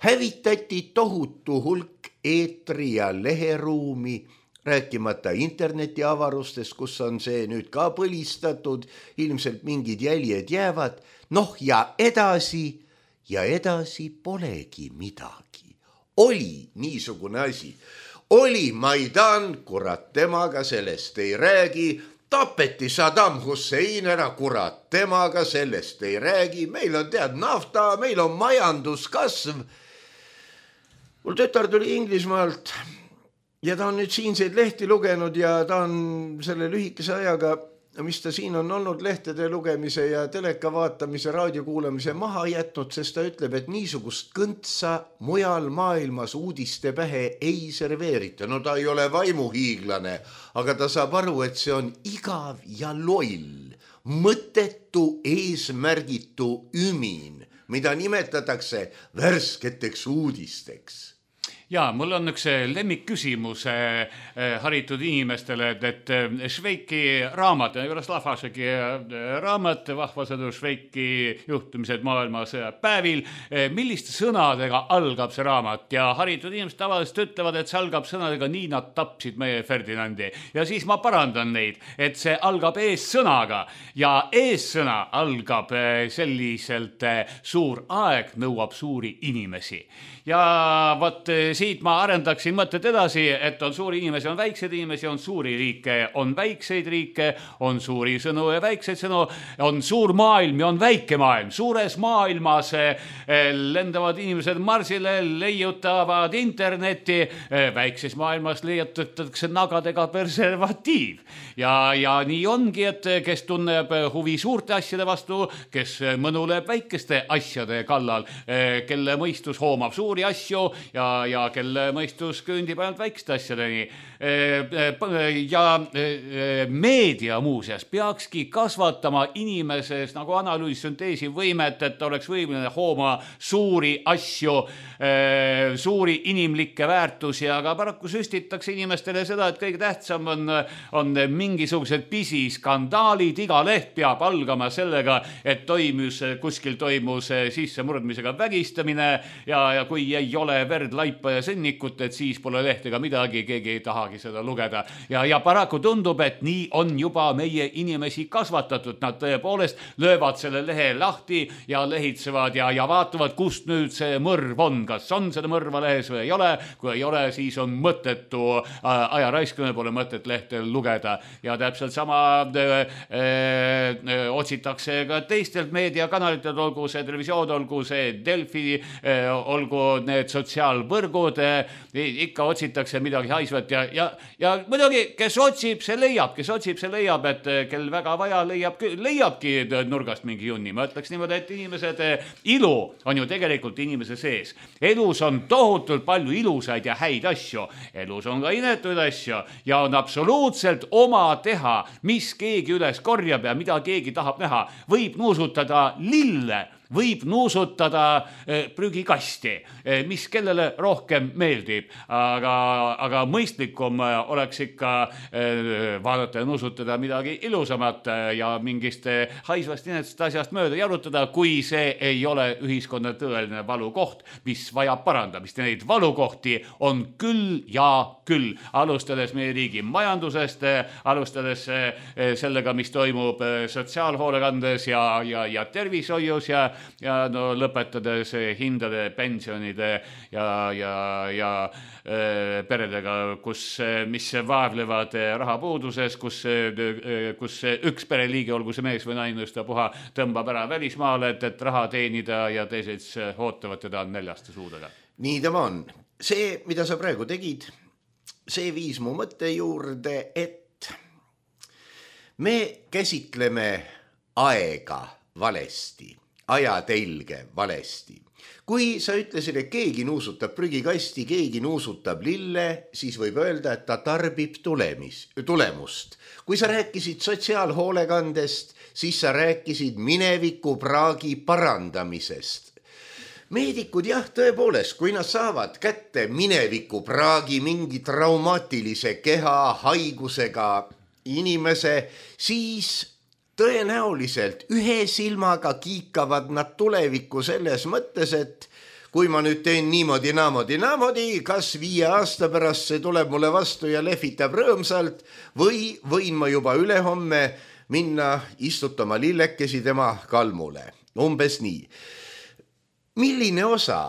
Hävitati tohutu hulk eetri ja leheruumi, rääkimata internetiavarustest, kus on see nüüd ka põlistatud, ilmselt mingid jäljed jäävad. Noh ja edasi ja edasi polegi midagi. Oli niisugune asi. Oli Maidan, kurat temaga sellest ei räägi. Tapeti Saddam Hussein ära, kurat temaga sellest ei räägi. Meil on tead nafta, meil on majanduskasv. Mul tütar tuli Inglismaalt ja ta on nüüd siinseid lehti lugenud ja ta on selle lühikese ajaga, mis ta siin on olnud lehtede lugemise ja teleka vaatamise, raadio kuulamise maha jätnud, sest ta ütleb, et niisugust kõntsa mujal maailmas uudiste pähe ei serveerita. No ta ei ole vaimuhiiglane, aga ta saab aru, et see on igav ja loll, mõttetu eesmärgitu ümin, mida nimetatakse värsketeks uudisteks. Ja, mul on üks lemmikküsimus haritud inimestele, et Šveiki raamat, Jaroslava raamat, vahvasõdu Šveiki juhtumised maailmas päevil, milliste sõnadega algab see raamat ja haritud inimesed tavaliselt ütlevad, et see algab sõnadega nii nad tapsid meie Ferdinandi ja siis ma parandan neid, et see algab eessõnaga ja eessõna algab selliselt suur aeg nõuab suuri inimesi ja võt siit ma arendaksin mõtted edasi, et on suuri inimesi, on väikseid inimesi, on suuri riike, on väikseid riike, on suuri sõnu ja väikseid sõnu, on suur maailm ja on väike maailm. Suures maailmas lendavad inimesed marsile, leiutavad interneti, väikses maailmas leiutatakse nagadega preservatiiv. Ja, ja nii ongi, et kes tunneb huvi suurte asjade vastu, kes mõnuleb väikeste asjade kallal, kelle mõistus hoomab suuri asju ja, ja kelle mõistus küündib ainult väikeste asjadeni. Ja meedia muuseas peakski kasvatama inimeses nagu analüüsisünteesi võimet, et oleks võimeline hooma suuri asju, suuri inimlikke väärtusi, aga paraku süstitakse inimestele seda, et kõige tähtsam on, on mingisugused pisiskandaalid, iga leht peab algama sellega, et toimus, kuskil toimus sissemurdmisega vägistamine ja, ja kui ei ole verd, laipa ja sõnnikut, et siis pole leht ega midagi, keegi ei tahagi seda lugeda. Ja, ja paraku tundub, et nii on juba meie inimesi kasvatatud. Nad tõepoolest löövad selle lehe lahti ja lehitsevad ja, ja vaatavad, kust nüüd see mõrv on. Kas on seda mõrva lehes või ei ole? Kui ei ole, siis on mõttetu aja raiskamine, pole mõtet lehtel lugeda. Ja täpselt sama öö, öö, otsitakse ka teistelt meediakanalitelt, olgu see televisioon, olgu see Delfi, öö, olgu need sotsiaalvõrgud, ikka otsitakse midagi haisvat ja, ja, ja muidugi, kes otsib, see leiab, kes otsib, see leiab, et kel väga vaja leiab, leiabki nurgast mingi junni. Ma ütleks niimoodi, et inimesed, ilu on ju tegelikult inimese sees. Elus on tohutult palju ilusaid ja häid asju. Elus on ka inetuid asju ja on absoluutselt oma teha, mis keegi üles korjab ja mida keegi tahab näha. Võib nuusutada lille võib nuusutada prügikasti, mis kellele rohkem meeldib, aga, aga mõistlikum oleks ikka vaadata ja nuusutada midagi ilusamat ja mingist haisvast inetsest asjast mööda jalutada, kui see ei ole ühiskonna tõeline valukoht, mis vajab parandamist. Neid valukohti on küll ja küll, alustades meie riigi majandusest, alustades sellega, mis toimub sotsiaalhoolekandes ja, ja, ja tervishoius ja ja no lõpetades hindade, pensionide ja, ja, ja äh, peredega, kus, mis vaevlevad rahapuuduses, kus, kus üks pereliigi, olgu see mees või naine, puha tõmbab ära välismaale, et, et raha teenida ja teised ootavad teda näljaste suudega. Nii tema on. See, mida sa praegu tegid, see viis mu mõtte juurde, et me käsitleme aega valesti. Ajatelge valesti. Kui sa ütlesid, et keegi nuusutab prügikasti, keegi nuusutab lille, siis võib öelda, et ta tarbib tulemis, tulemust. Kui sa rääkisid sotsiaalhoolekandest, siis sa rääkisid mineviku praagi parandamisest. Meedikud jah, tõepoolest, kui nad saavad kätte mineviku praagi mingi traumaatilise keha haigusega inimese, siis tõenäoliselt ühe silmaga kiikavad nad tulevikku selles mõttes, et kui ma nüüd teen niimoodi, naamodi, naamodi, kas viie aasta pärast see tuleb mulle vastu ja lehvitab rõõmsalt või võin ma juba ülehomme minna istutama lillekesi tema kalmule. Umbes nii. Milline osa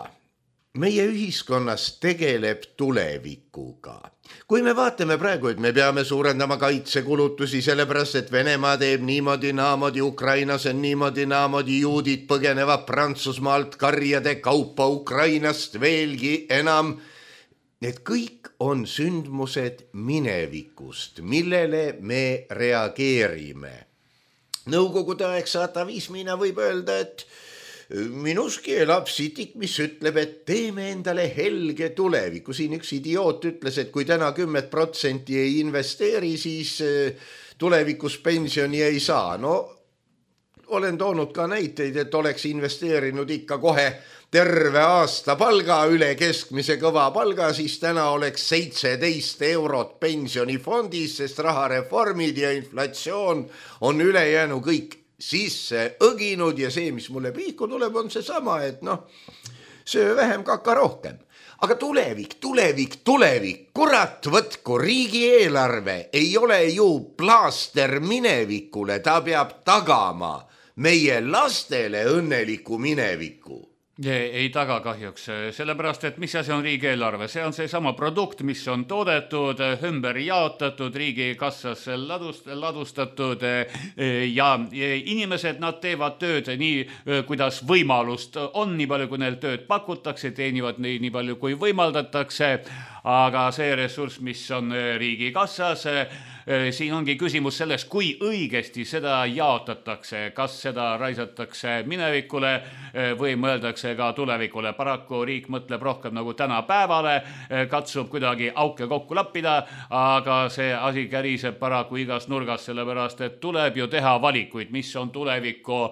meie ühiskonnas tegeleb tulevikuga? Kui me vaatame praegu, et me peame suurendama kaitsekulutusi sellepärast, et Venemaa teeb niimoodi, naamodi, Ukrainas on niimoodi, naamodi, juudid põgenevad Prantsusmaalt karjade kaupa Ukrainast veelgi enam. Need kõik on sündmused minevikust, millele me reageerime. Nõukogude aegse atavismina võib öelda, et minuski elab sitik, mis ütleb, et teeme endale helge tuleviku. Siin üks idioot ütles, et kui täna kümmet protsenti ei investeeri, siis tulevikus pensioni ei saa. No, olen toonud ka näiteid, et oleks investeerinud ikka kohe terve aasta palga üle keskmise kõva palga, siis täna oleks seitseteist eurot pensionifondis, sest rahareformid ja inflatsioon on ülejäänu kõik sisse õginud ja see, mis mulle pihku tuleb, on see sama, et noh, söö vähem, kaka rohkem. Aga tulevik, tulevik, tulevik, kurat võtku, riigieelarve ei ole ju plaaster minevikule, ta peab tagama meie lastele õnneliku mineviku. Ei taga kahjuks, sellepärast, et mis asi on riigieelarve? See on see sama produkt, mis on toodetud, ümber jaotatud, riigi kassasse ladust, ladustatud ja inimesed, nad teevad tööd nii, kuidas võimalust on, nii palju, kui neil tööd pakutakse, teenivad nii, nii palju, kui võimaldatakse, aga see ressurss, mis on riigi kassas, siin ongi küsimus selles, kui õigesti seda jaotatakse, kas seda raisatakse minevikule või mõeldakse ka tulevikule. Paraku riik mõtleb rohkem nagu tänapäevale, katsub kuidagi auke kokku lappida, aga see asi käriseb paraku igas nurgas, sellepärast et tuleb ju teha valikuid, mis on tuleviku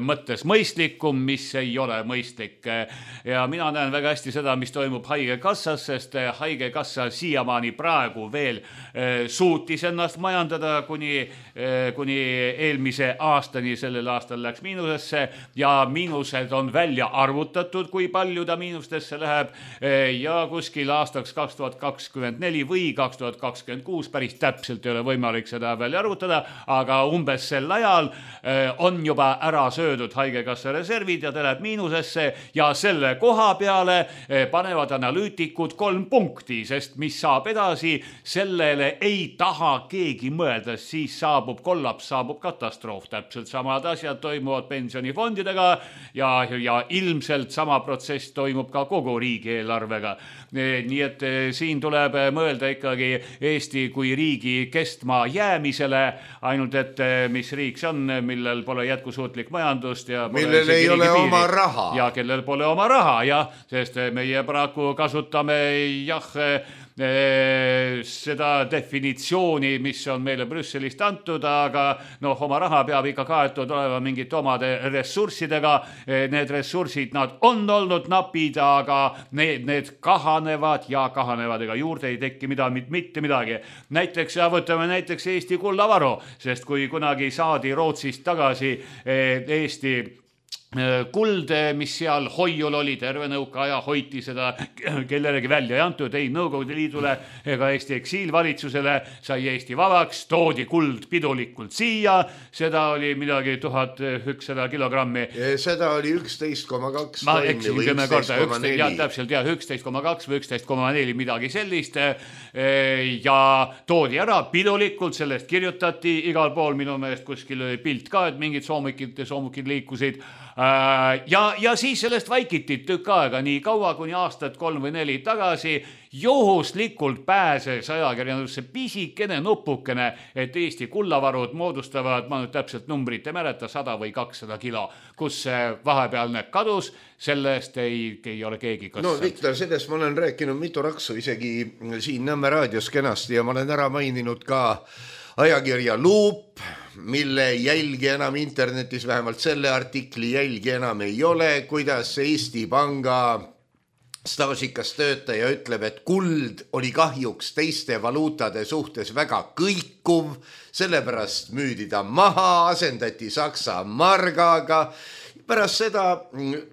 mõttes mõistlikum, mis ei ole mõistlik. Ja mina näen väga hästi seda, mis toimub haigekassas, sest haigekassa siiamaani praegu veel suutis ennast majandada kuni, kuni eelmise aastani, sellel aastal läks miinusesse ja miinused on välja arvutatud, kui palju ta miinustesse läheb ja kuskil aastaks kaks tuhat kakskümmend neli või kaks tuhat kakskümmend kuus, päris täpselt ei ole võimalik seda välja arvutada, aga umbes sel ajal on juba ära söödud haigekassa reservid ja ta läheb miinusesse ja selle koha peale panevad analüütikud kolm punkti, sest mis saab edasi, sellele ei taha keegi mõelda, siis saabub kollaps, saabub katastroof. Täpselt samad asjad toimuvad pensionifondidega ja, ja ilmselt sama protsess toimub ka kogu riigieelarvega. Nii et siin tuleb mõelda ikkagi Eesti kui riigi kestma jäämisele, ainult et mis riik see on, millel pole jätkusuutlik majandust ja millel ei ole oma raha. Ja kellel pole oma raha, jah, sest meie praegu kasutame jah, seda definitsiooni, mis on meile Brüsselist antud, aga noh, oma raha peab ikka kaetud olema mingite omade ressurssidega. Need ressursid, nad on olnud napid, aga need, need kahanevad ja kahanevad, ega juurde ei tekki mida, mitte midagi. Näiteks, ja võtame näiteks Eesti kullavaru, sest kui kunagi saadi Rootsist tagasi Eesti kuld, mis seal hoiul oli, terve nõukaaja hoiti seda, kellelegi välja ei antud, ei Nõukogude Liidule ega Eesti eksiilvalitsusele, sai Eesti vabaks, toodi kuld pidulikult siia, seda oli midagi tuhat ükssada kilogrammi. Seda oli üksteist koma kaks ma eksin kümme korda, ja täpselt ja üksteist koma kaks või üksteist koma neli, midagi sellist, ja toodi ära pidulikult, sellest kirjutati igal pool, minu meelest kuskil oli pilt ka, et mingid soomukid, soomukid liikusid. Ja, ja siis sellest vaikiti tükk aega nii kaua, kuni aastat kolm või neli tagasi juhuslikult pääses ajakirjandusse pisikene nupukene, et Eesti kullavarud moodustavad, ma nüüd täpselt numbrit ei mäleta, sada või kakssada kilo, kus vahepealne kadus, sellest ei, ei ole keegi kas... No Viktor, sellest ma olen rääkinud mitu raksu isegi siin Nõmme raadios kenasti ja ma olen ära maininud ka ajakirja Luup, mille jälgi enam internetis, vähemalt selle artikli jälgi enam ei ole, kuidas Eesti Panga staažikas töötaja ütleb, et kuld oli kahjuks teiste valuutade suhtes väga kõikuv, sellepärast müüdi ta maha, asendati Saksa margaga. Pärast seda,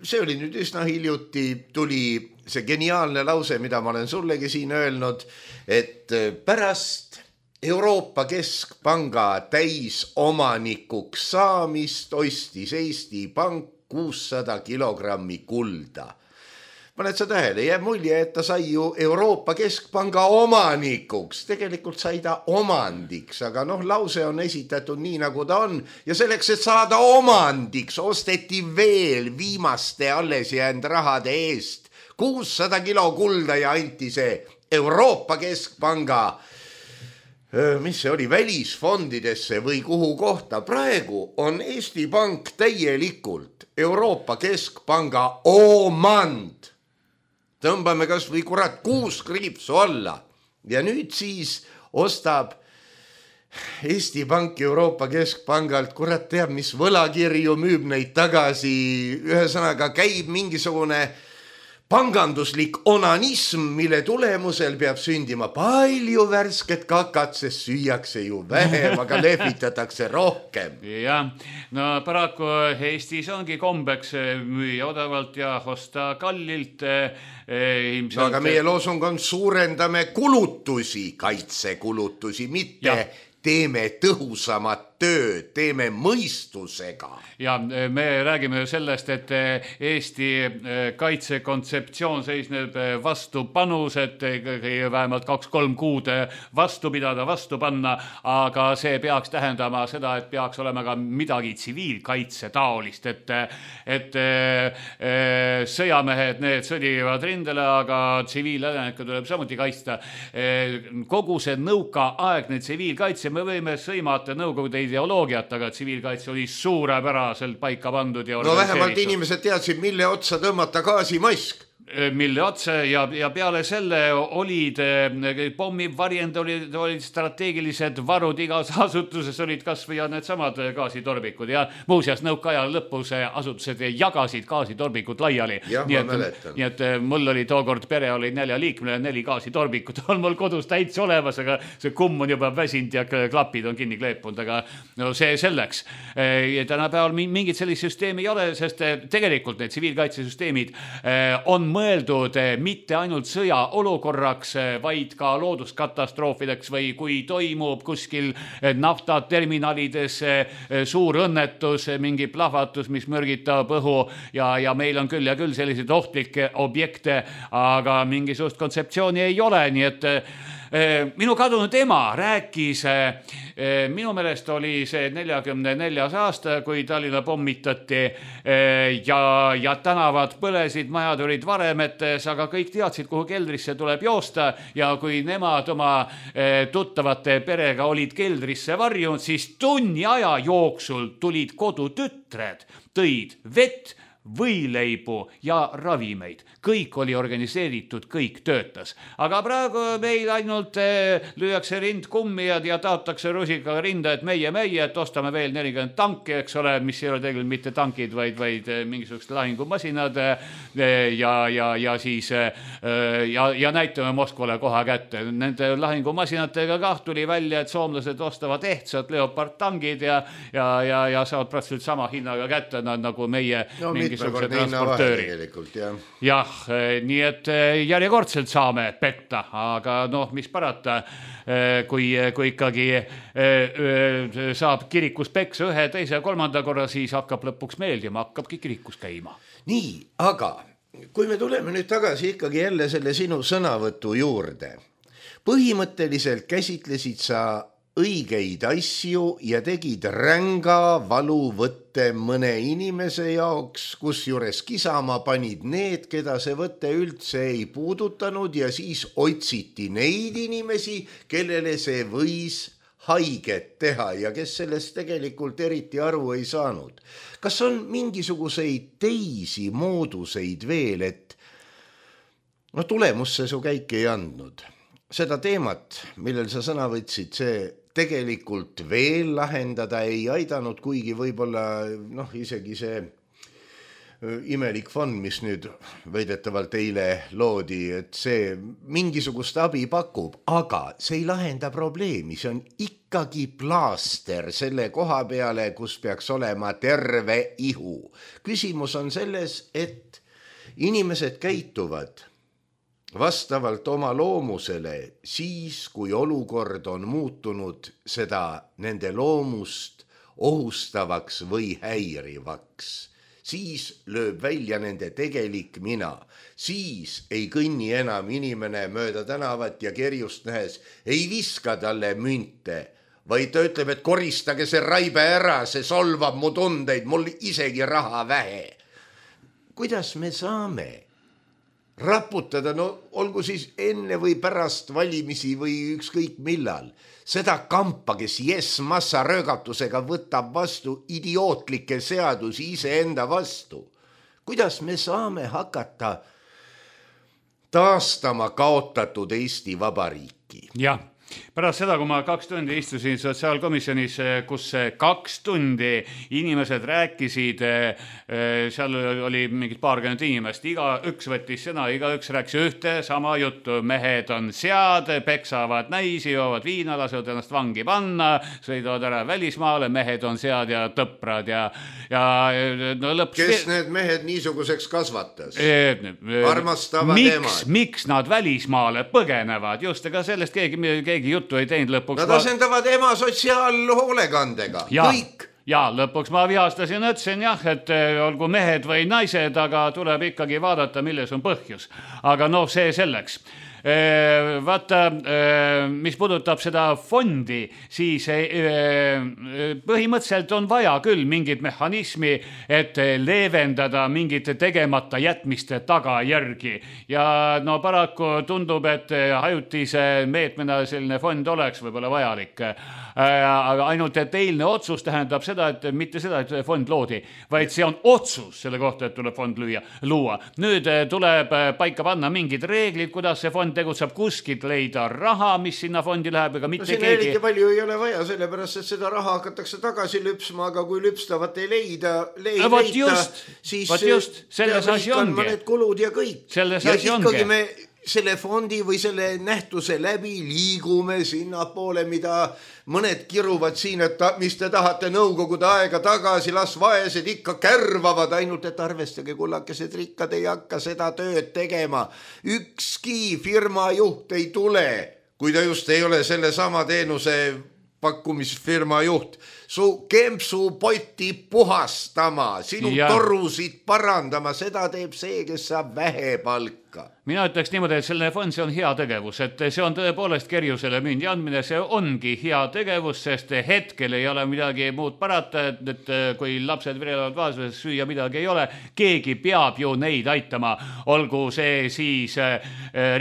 see oli nüüd üsna hiljuti, tuli see geniaalne lause, mida ma olen sullegi siin öelnud, et pärast Euroopa Keskpanga täisomanikuks saamist ostis Eesti Pank kuussada kilogrammi kulda. Paned sa tähele, jääb mulje, et ta sai ju Euroopa Keskpanga omanikuks. Tegelikult sai ta omandiks, aga noh, lause on esitatud nii, nagu ta on. Ja selleks, et saada omandiks, osteti veel viimaste alles jäänud rahade eest kuussada kilo kulda ja anti see Euroopa Keskpanga mis see oli, välisfondidesse või kuhu kohta. Praegu on Eesti Pank täielikult Euroopa Keskpanga omand. Tõmbame kas või kurat kuus kriipsu alla. Ja nüüd siis ostab Eesti Pank Euroopa Keskpangalt, kurat teab, mis võlakirju, müüb neid tagasi. Ühesõnaga käib mingisugune panganduslik onanism, mille tulemusel peab sündima palju värsket kakat, sest süüakse ju vähem, aga lehvitatakse rohkem. Ja, no paraku Eestis ongi kombeks müüa odavalt ja osta kallilt. Ilmselt... No, aga meie loosung on suurendame kulutusi, kaitsekulutusi, mitte... Ja. Teeme tõhusamat tööd, teeme mõistusega. Ja me räägime ju sellest, et Eesti kaitsekontseptsioon seisneb vastupanus, et vähemalt kaks-kolm kuud vastu pidada, vastu panna, aga see peaks tähendama seda, et peaks olema ka midagi tsiviilkaitse taolist, et, et sõjamehed, need sõdivad rindele, aga tsiviilädenike tuleb samuti kaitsta. Kogu see nõukaaegne tsiviilkaitse, me võime sõimata nõukogude ideoloogiat, aga tsiviilkaitse oli suurepäraselt paika pandud. Ja no vähemalt inimesed teadsid, mille otsa tõmmata gaasimask. Mille otsa ja, ja peale selle olid pommivarjend, olid, olid strateegilised varud, igas asutuses olid kas või need samad gaasitorbikud ja muuseas nõukaja lõpus asutused jagasid gaasitorbikud laiali. Ja, nii, et, nii et mul oli tookord pere, oli nelja liikmele, neli gaasitorbikut on mul kodus täitsa olemas, aga see kumm on juba väsinud ja klapid on kinni kleepunud, aga no see selleks. Ja tänapäeval mingit sellist süsteemi ei ole, sest tegelikult need tsiviilkaitsesüsteemid on mõeldud mitte ainult sõja olukorraks, vaid ka looduskatastroofideks või kui toimub kuskil naftaterminalides suur õnnetus, mingi plahvatus, mis mürgitab õhu ja, ja meil on küll ja küll selliseid ohtlikke objekte, aga mingisugust kontseptsiooni ei ole, nii et minu kadunud ema rääkis, minu meelest oli see neljakümne neljas aasta, kui Tallinna pommitati ja, ja tänavad põlesid, majad olid varemetes, aga kõik teadsid, kuhu keldrisse tuleb joosta ja kui nemad oma tuttavate perega olid keldrisse varjunud, siis tunni aja jooksul tulid kodutütred, tõid vett, võileibu ja ravimeid. Kõik oli organiseeritud, kõik töötas. Aga praegu meil ainult lüüakse rind kummi ja, ja taotakse rusikaga rinda, et meie, meie, et ostame veel nelikümmend tanki, eks ole, mis ei ole tegelikult mitte tankid, vaid, vaid mingisugused lahingumasinad ja, ja, ja siis ja, ja näitame Moskvale koha kätte. Nende lahingumasinatega kah tuli välja, et soomlased ostavad ehtsad Leopard tangid ja, ja, ja, ja saavad praktiliselt sama hinnaga kätte nagu meie no, mingisuguse transportööri. Jah, jah, nii et järjekordselt saame petta, aga noh, mis parata, kui, kui ikkagi saab kirikus peksa ühe, teise ja kolmanda korra, siis hakkab lõpuks meeldima, hakkabki kirikus käima. Nii, aga kui me tuleme nüüd tagasi ikkagi jälle selle sinu sõnavõtu juurde, põhimõtteliselt käsitlesid sa õigeid asju ja tegid ränga valuvõtte mõne inimese jaoks, kus juures kisama panid need, keda see võtte üldse ei puudutanud ja siis otsiti neid inimesi, kellele see võis haiget teha ja kes sellest tegelikult eriti aru ei saanud. Kas on mingisuguseid teisi mooduseid veel, et no tulemusse su käik ei andnud? Seda teemat, millel sa sõna võtsid, see tegelikult veel lahendada ei aidanud, kuigi võib-olla noh, isegi see imelik fond, mis nüüd väidetavalt eile loodi, et see mingisugust abi pakub, aga see ei lahenda probleemi, see on ikkagi plaaster selle koha peale, kus peaks olema terve ihu. Küsimus on selles, et inimesed käituvad vastavalt oma loomusele siis, kui olukord on muutunud seda nende loomust ohustavaks või häirivaks. Siis lööb välja nende tegelik mina. Siis ei kõnni enam inimene mööda tänavat ja kerjust nähes ei viska talle münte, vaid ta ütleb, et koristage see raibe ära, see solvab mu tundeid, mul isegi raha vähe. Kuidas me saame raputada, no olgu siis enne või pärast valimisi või ükskõik millal, seda kampa, kes yes massa röögatusega võtab vastu idiootlikke seadusi iseenda vastu. Kuidas me saame hakata taastama kaotatud Eesti Vabariiki? Jah. Pärast seda, kui ma kaks tundi istusin sotsiaalkomisjonis, kus kaks tundi inimesed rääkisid, seal oli mingid paarkümmend inimest, iga üks võttis sõna, iga üks rääkis ühte sama juttu. Mehed on sead, peksavad naisi, joovad viina, lasevad ennast vangi panna, sõidavad ära välismaale, mehed on sead ja tõprad ja, ja no lõpuks... Kes need mehed niisuguseks kasvatas? Armastavad miks, emad. Miks nad välismaale põgenevad? Just, ega sellest keegi, keegi juttu ei teinud lõpuks. Nad asendavad ema sotsiaalhoolekandega. Ja, kõik. Ja lõpuks ma vihastasin, ütlesin jah, et olgu mehed või naised, aga tuleb ikkagi vaadata, milles on põhjus. Aga noh, see selleks. Vaata, mis puudutab seda fondi, siis põhimõtteliselt on vaja küll mingit mehhanismi, et leevendada mingite tegemata jätmiste tagajärgi. Ja no paraku tundub, et ajutise meetmena selline fond oleks võib-olla vajalik. Aga ainult, et eilne otsus tähendab seda, et mitte seda, et fond loodi, vaid see on otsus selle kohta, et tuleb fond lüüa, luua. Nüüd tuleb paika panna mingid reeglid, kuidas see fond tegutseb, kuskilt leida raha, mis sinna fondi läheb, ega mitte no, keegi. Eriti palju ei ole vaja, sellepärast, et seda raha hakatakse tagasi lüpsma, aga kui lüpstavat ei leida, leida võt just, siis just, selles asi ongi. Mõned kulud ja kõik. Selles ja asi ikkagi ongi. Me selle fondi või selle nähtuse läbi liigume sinna poole, mida mõned kiruvad siin, et ta, mis te tahate nõukogude aega tagasi, las vaesed ikka kärvavad, ainult et arvestage, kullakesed rikkad ei hakka seda tööd tegema. Ükski firma juht ei tule, kui ta just ei ole selle sama teenuse pakkumisfirma juht, su kempsu poti puhastama, sinu ja. Torusid parandama, seda teeb see, kes saab vähe palka. Mina ütleks niimoodi, et selle fond, see on hea tegevus, et see on tõepoolest kerjusele mündi andmine, see ongi hea tegevus, sest hetkel ei ole midagi muud parata, et, et kui lapsed virelevad vaesuses, süüa midagi ei ole, keegi peab ju neid aitama, olgu see siis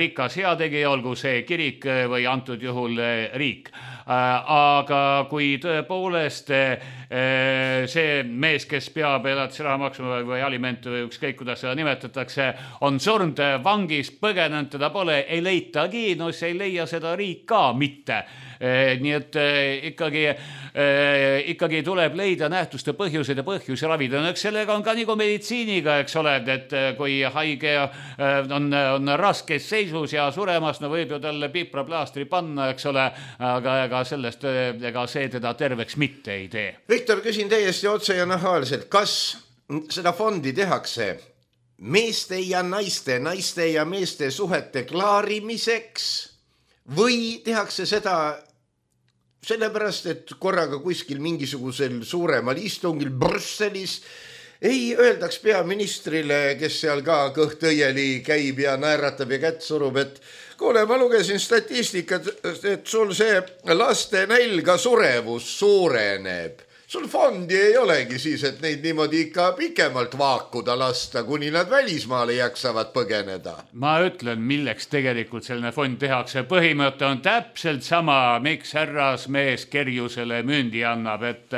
rikas heategija, olgu see kirik või antud juhul riik. aga kui tõepoolest see mees, kes peab elatisraha maksma või alimente või ükskõik, kuidas seda nimetatakse, on surnud vangis, põgenenud, teda pole, ei leitagi, no see ei leia seda riik ka mitte. Nii et ikkagi, ikkagi tuleb leida nähtuste põhjused ja põhjusi ravida. No, eks sellega on ka nagu meditsiiniga, eks ole, et kui haige on, on raskes seisus ja suremas, no võib ju talle pipraplaastri panna, eks ole, aga ega sellest, ega see teda terveks mitte ei tee. Viktor, küsin täiesti otse ja nahaalselt, kas seda fondi tehakse meeste ja naiste, naiste ja meeste suhete klaarimiseks või tehakse seda sellepärast, et korraga kuskil mingisugusel suuremal istungil Brüsselis ei öeldaks peaministrile, kes seal ka kõht õieli käib ja naeratab ja kätt surub, et kuule, ma lugesin statistikat, et sul see laste nälga surevus suureneb. Sul fondi ei olegi siis, et neid niimoodi ikka pikemalt vaakuda lasta, kuni nad välismaale jaksavad põgeneda. Ma ütlen, milleks tegelikult selline fond tehakse. Põhimõte on täpselt sama, miks härras mees kerjusele mündi annab, et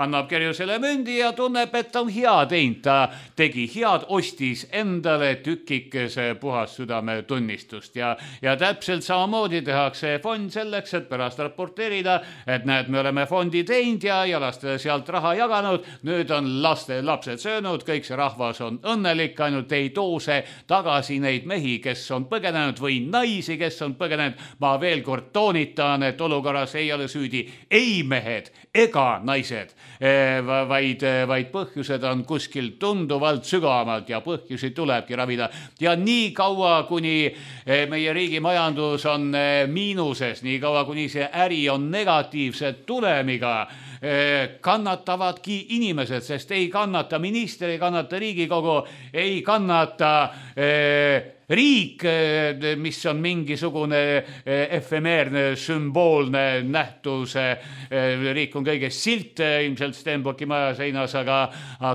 annab kerjusele mündi ja tunneb, et on hea teinud. Ta tegi head, ostis endale tükikese puhas südame tunnistust ja, ja täpselt samamoodi tehakse fond selleks, et pärast raporteerida, et näed, me oleme fondi teinud ja, ja laste sealt raha jaganud, nüüd on laste lapsed söönud, kõik see rahvas on õnnelik, ainult ei toose tagasi neid mehi, kes on põgenenud või naisi, kes on põgenenud. Ma veel kord toonitan, et olukorras ei ole süüdi ei mehed ega naised, vaid, vaid põhjused on kuskil tunduvalt sügavamalt ja põhjusi tulebki ravida. Ja nii kaua, kuni meie riigi majandus on miinuses, nii kaua, kuni see äri on negatiivse tulemiga, kannatavadki inimesed, sest ei kannata minister, ei kannata Riigikogu, ei kannata eh, riik, mis on mingisugune efemeerne, sümboolne nähtus. Riik on kõigest silt, ilmselt Stenbocki maja seinas, aga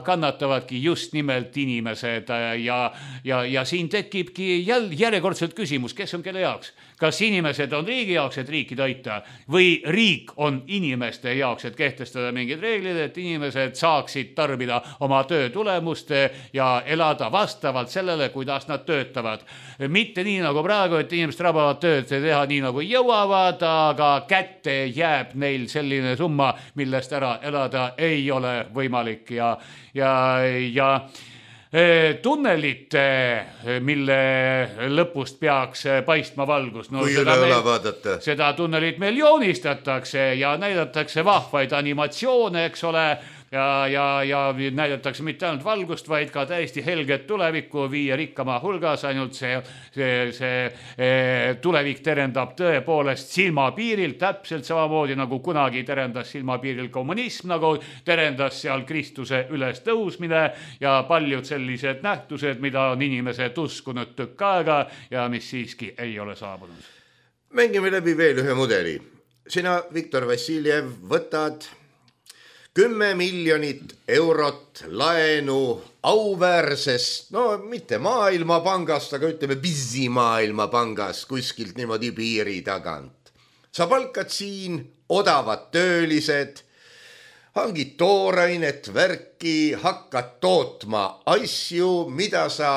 kannatavadki just nimelt inimesed. Ja, ja, ja siin tekibki jäl, järjekordselt küsimus, kes on kelle jaoks? Kas inimesed on riigi jaoks, et riiki toita, või riik on inimeste jaoks, et kehtestada mingid reeglid, et inimesed saaksid tarbida oma töö tulemust ja elada vastavalt sellele, kuidas nad töötavad. Mitte nii nagu praegu, et inimesed rabavad tööd teha nii nagu jõuavad, aga kätte jääb neil selline summa, millest ära elada ei ole võimalik ja, ja, ja tunnelit, mille lõpust peaks paistma valgus. No, kui üle õla vaadata. Seda tunnelit meil joonistatakse ja näidatakse vahvaid animatsioone, eks ole, ja, ja, ja näidatakse mitte ainult valgust, vaid ka täiesti helget tulevikku viie rikkama hulgas, ainult see, see, see tulevik terendab tõepoolest silmapiiril, täpselt samamoodi nagu kunagi terendas silmapiiril kommunism, nagu terendas seal Kristuse üles tõusmine ja paljud sellised nähtused, mida on inimesed uskunud tükk aega ja mis siiski ei ole saabunud. Mängime läbi veel ühe mudeli. Sina, Viktor Vassiljev, võtad kümme miljonit eurot laenu auväärsest, no mitte maailmapangast, aga ütleme Bizimaailmapangast kuskilt niimoodi piiri tagant. Sa palkad siin odavad töölised, hangid toorainet, värki, hakkad tootma asju, mida sa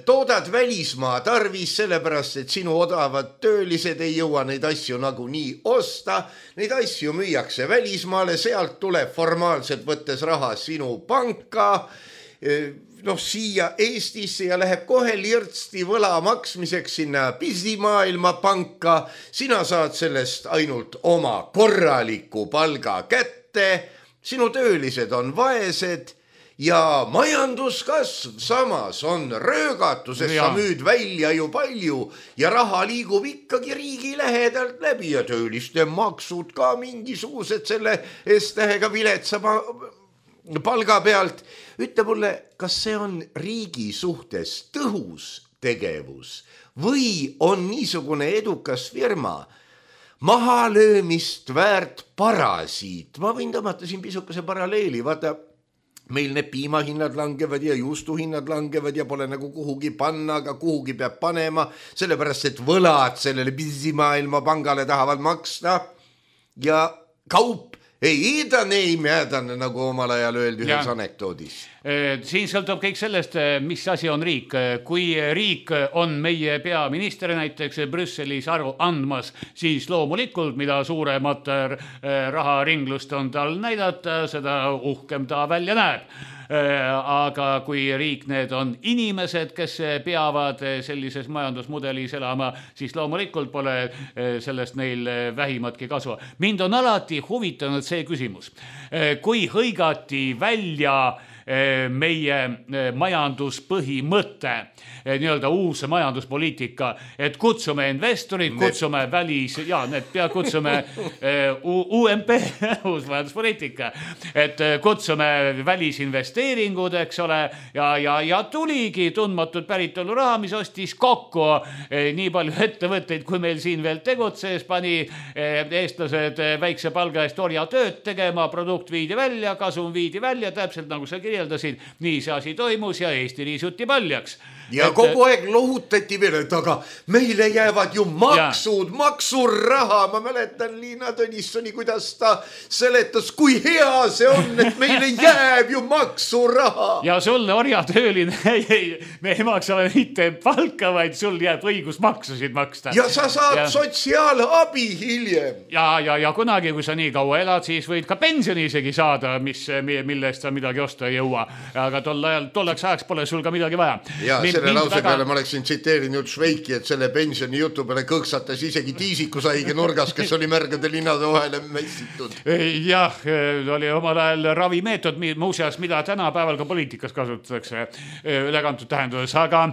toodad välismaa tarvis, sellepärast, et sinu odavad töölised ei jõua neid asju nagu nii osta. Neid asju müüakse välismaale, sealt tuleb formaalselt võttes raha sinu panka, noh, siia Eestisse ja läheb kohe lirtsti võla maksmiseks sinna Bizimaailmapanka. Sina saad sellest ainult oma korraliku palga kätte, sinu töölised on vaesed ja majanduskasv samas on röögatu, sest ja. Sa müüd välja ju palju ja raha liigub ikkagi riigi lähedalt läbi ja tööliste maksud ka mingisugused selle S-tähega viletsa palga pealt. Ütle mulle, kas see on riigi suhtes tõhus tegevus või on niisugune edukas firma mahalöömist väärt parasiit? Ma võin tõmmata siin pisukese paralleeli, vaata, meil need piimahinnad langevad ja juustuhinnad langevad ja pole nagu kuhugi panna, aga kuhugi peab panema, sellepärast et võlad sellele pisimaailma pangale tahavad maksta ja kaup ei iidane, ei määdane, nagu omal ajal öeldi ühes anekdoodis. Siin sõltub kõik sellest, mis asi on riik. Kui riik on meie peaminister näiteks Brüsselis aru andmas, siis loomulikult, mida suuremat raharinglust on tal näidata, seda uhkem ta välja näeb. Aga kui riik need on inimesed, kes peavad sellises majandusmudelis elama, siis loomulikult pole sellest neil vähimatki kasu. Mind on alati huvitanud see küsimus. Kui hõigati välja meie majanduspõhimõte, nii-öelda uus majanduspoliitika, et kutsume investorid, kutsume välis, ja need pea kutsume U M P, uus majanduspoliitika, et kutsume välisinvesteeringud, eks ole, ja, ja, ja tuligi tundmatud päritolu raha, mis ostis kokku nii palju ettevõtteid, kui meil siin veel tegutses, pani eestlased väikse palga eest orja tööd tegema, produkt viidi välja, kasum viidi välja, täpselt nagu sa kirjeldasid, nii see asi toimus ja Eesti riisuti paljaks. Ja et, kogu aeg lohutati veel, et aga meile jäävad ju maksud, ja. maksuraha. Ma mäletan Liina Tõnissoni, kuidas ta seletas, kui hea see on, et meile jääb ju maksuraha. Ja sul orjatööline, me ei maksa mitte palka, vaid sul jääb õigus maksusid maksta. Ja sa saad ja. sotsiaalabi hiljem. Ja, ja, ja kunagi, kui sa nii kaua elad, siis võid ka pensioni isegi saada, mis, millest sa midagi osta ei jõua. Aga tol ajal, tolleks ajaks pole sul ka midagi vaja. Ja, selle lause väga... peale ma oleksin tsiteerinud Šveiki, et selle pensioni jutu peale kõksatas isegi tiisikusaige nurgas, kes oli märgade linnade vahele mässitud. Jah, oli omal ajal ravimeetod, muuseas, mida tänapäeval ka poliitikas kasutatakse ülekantud tähenduses, aga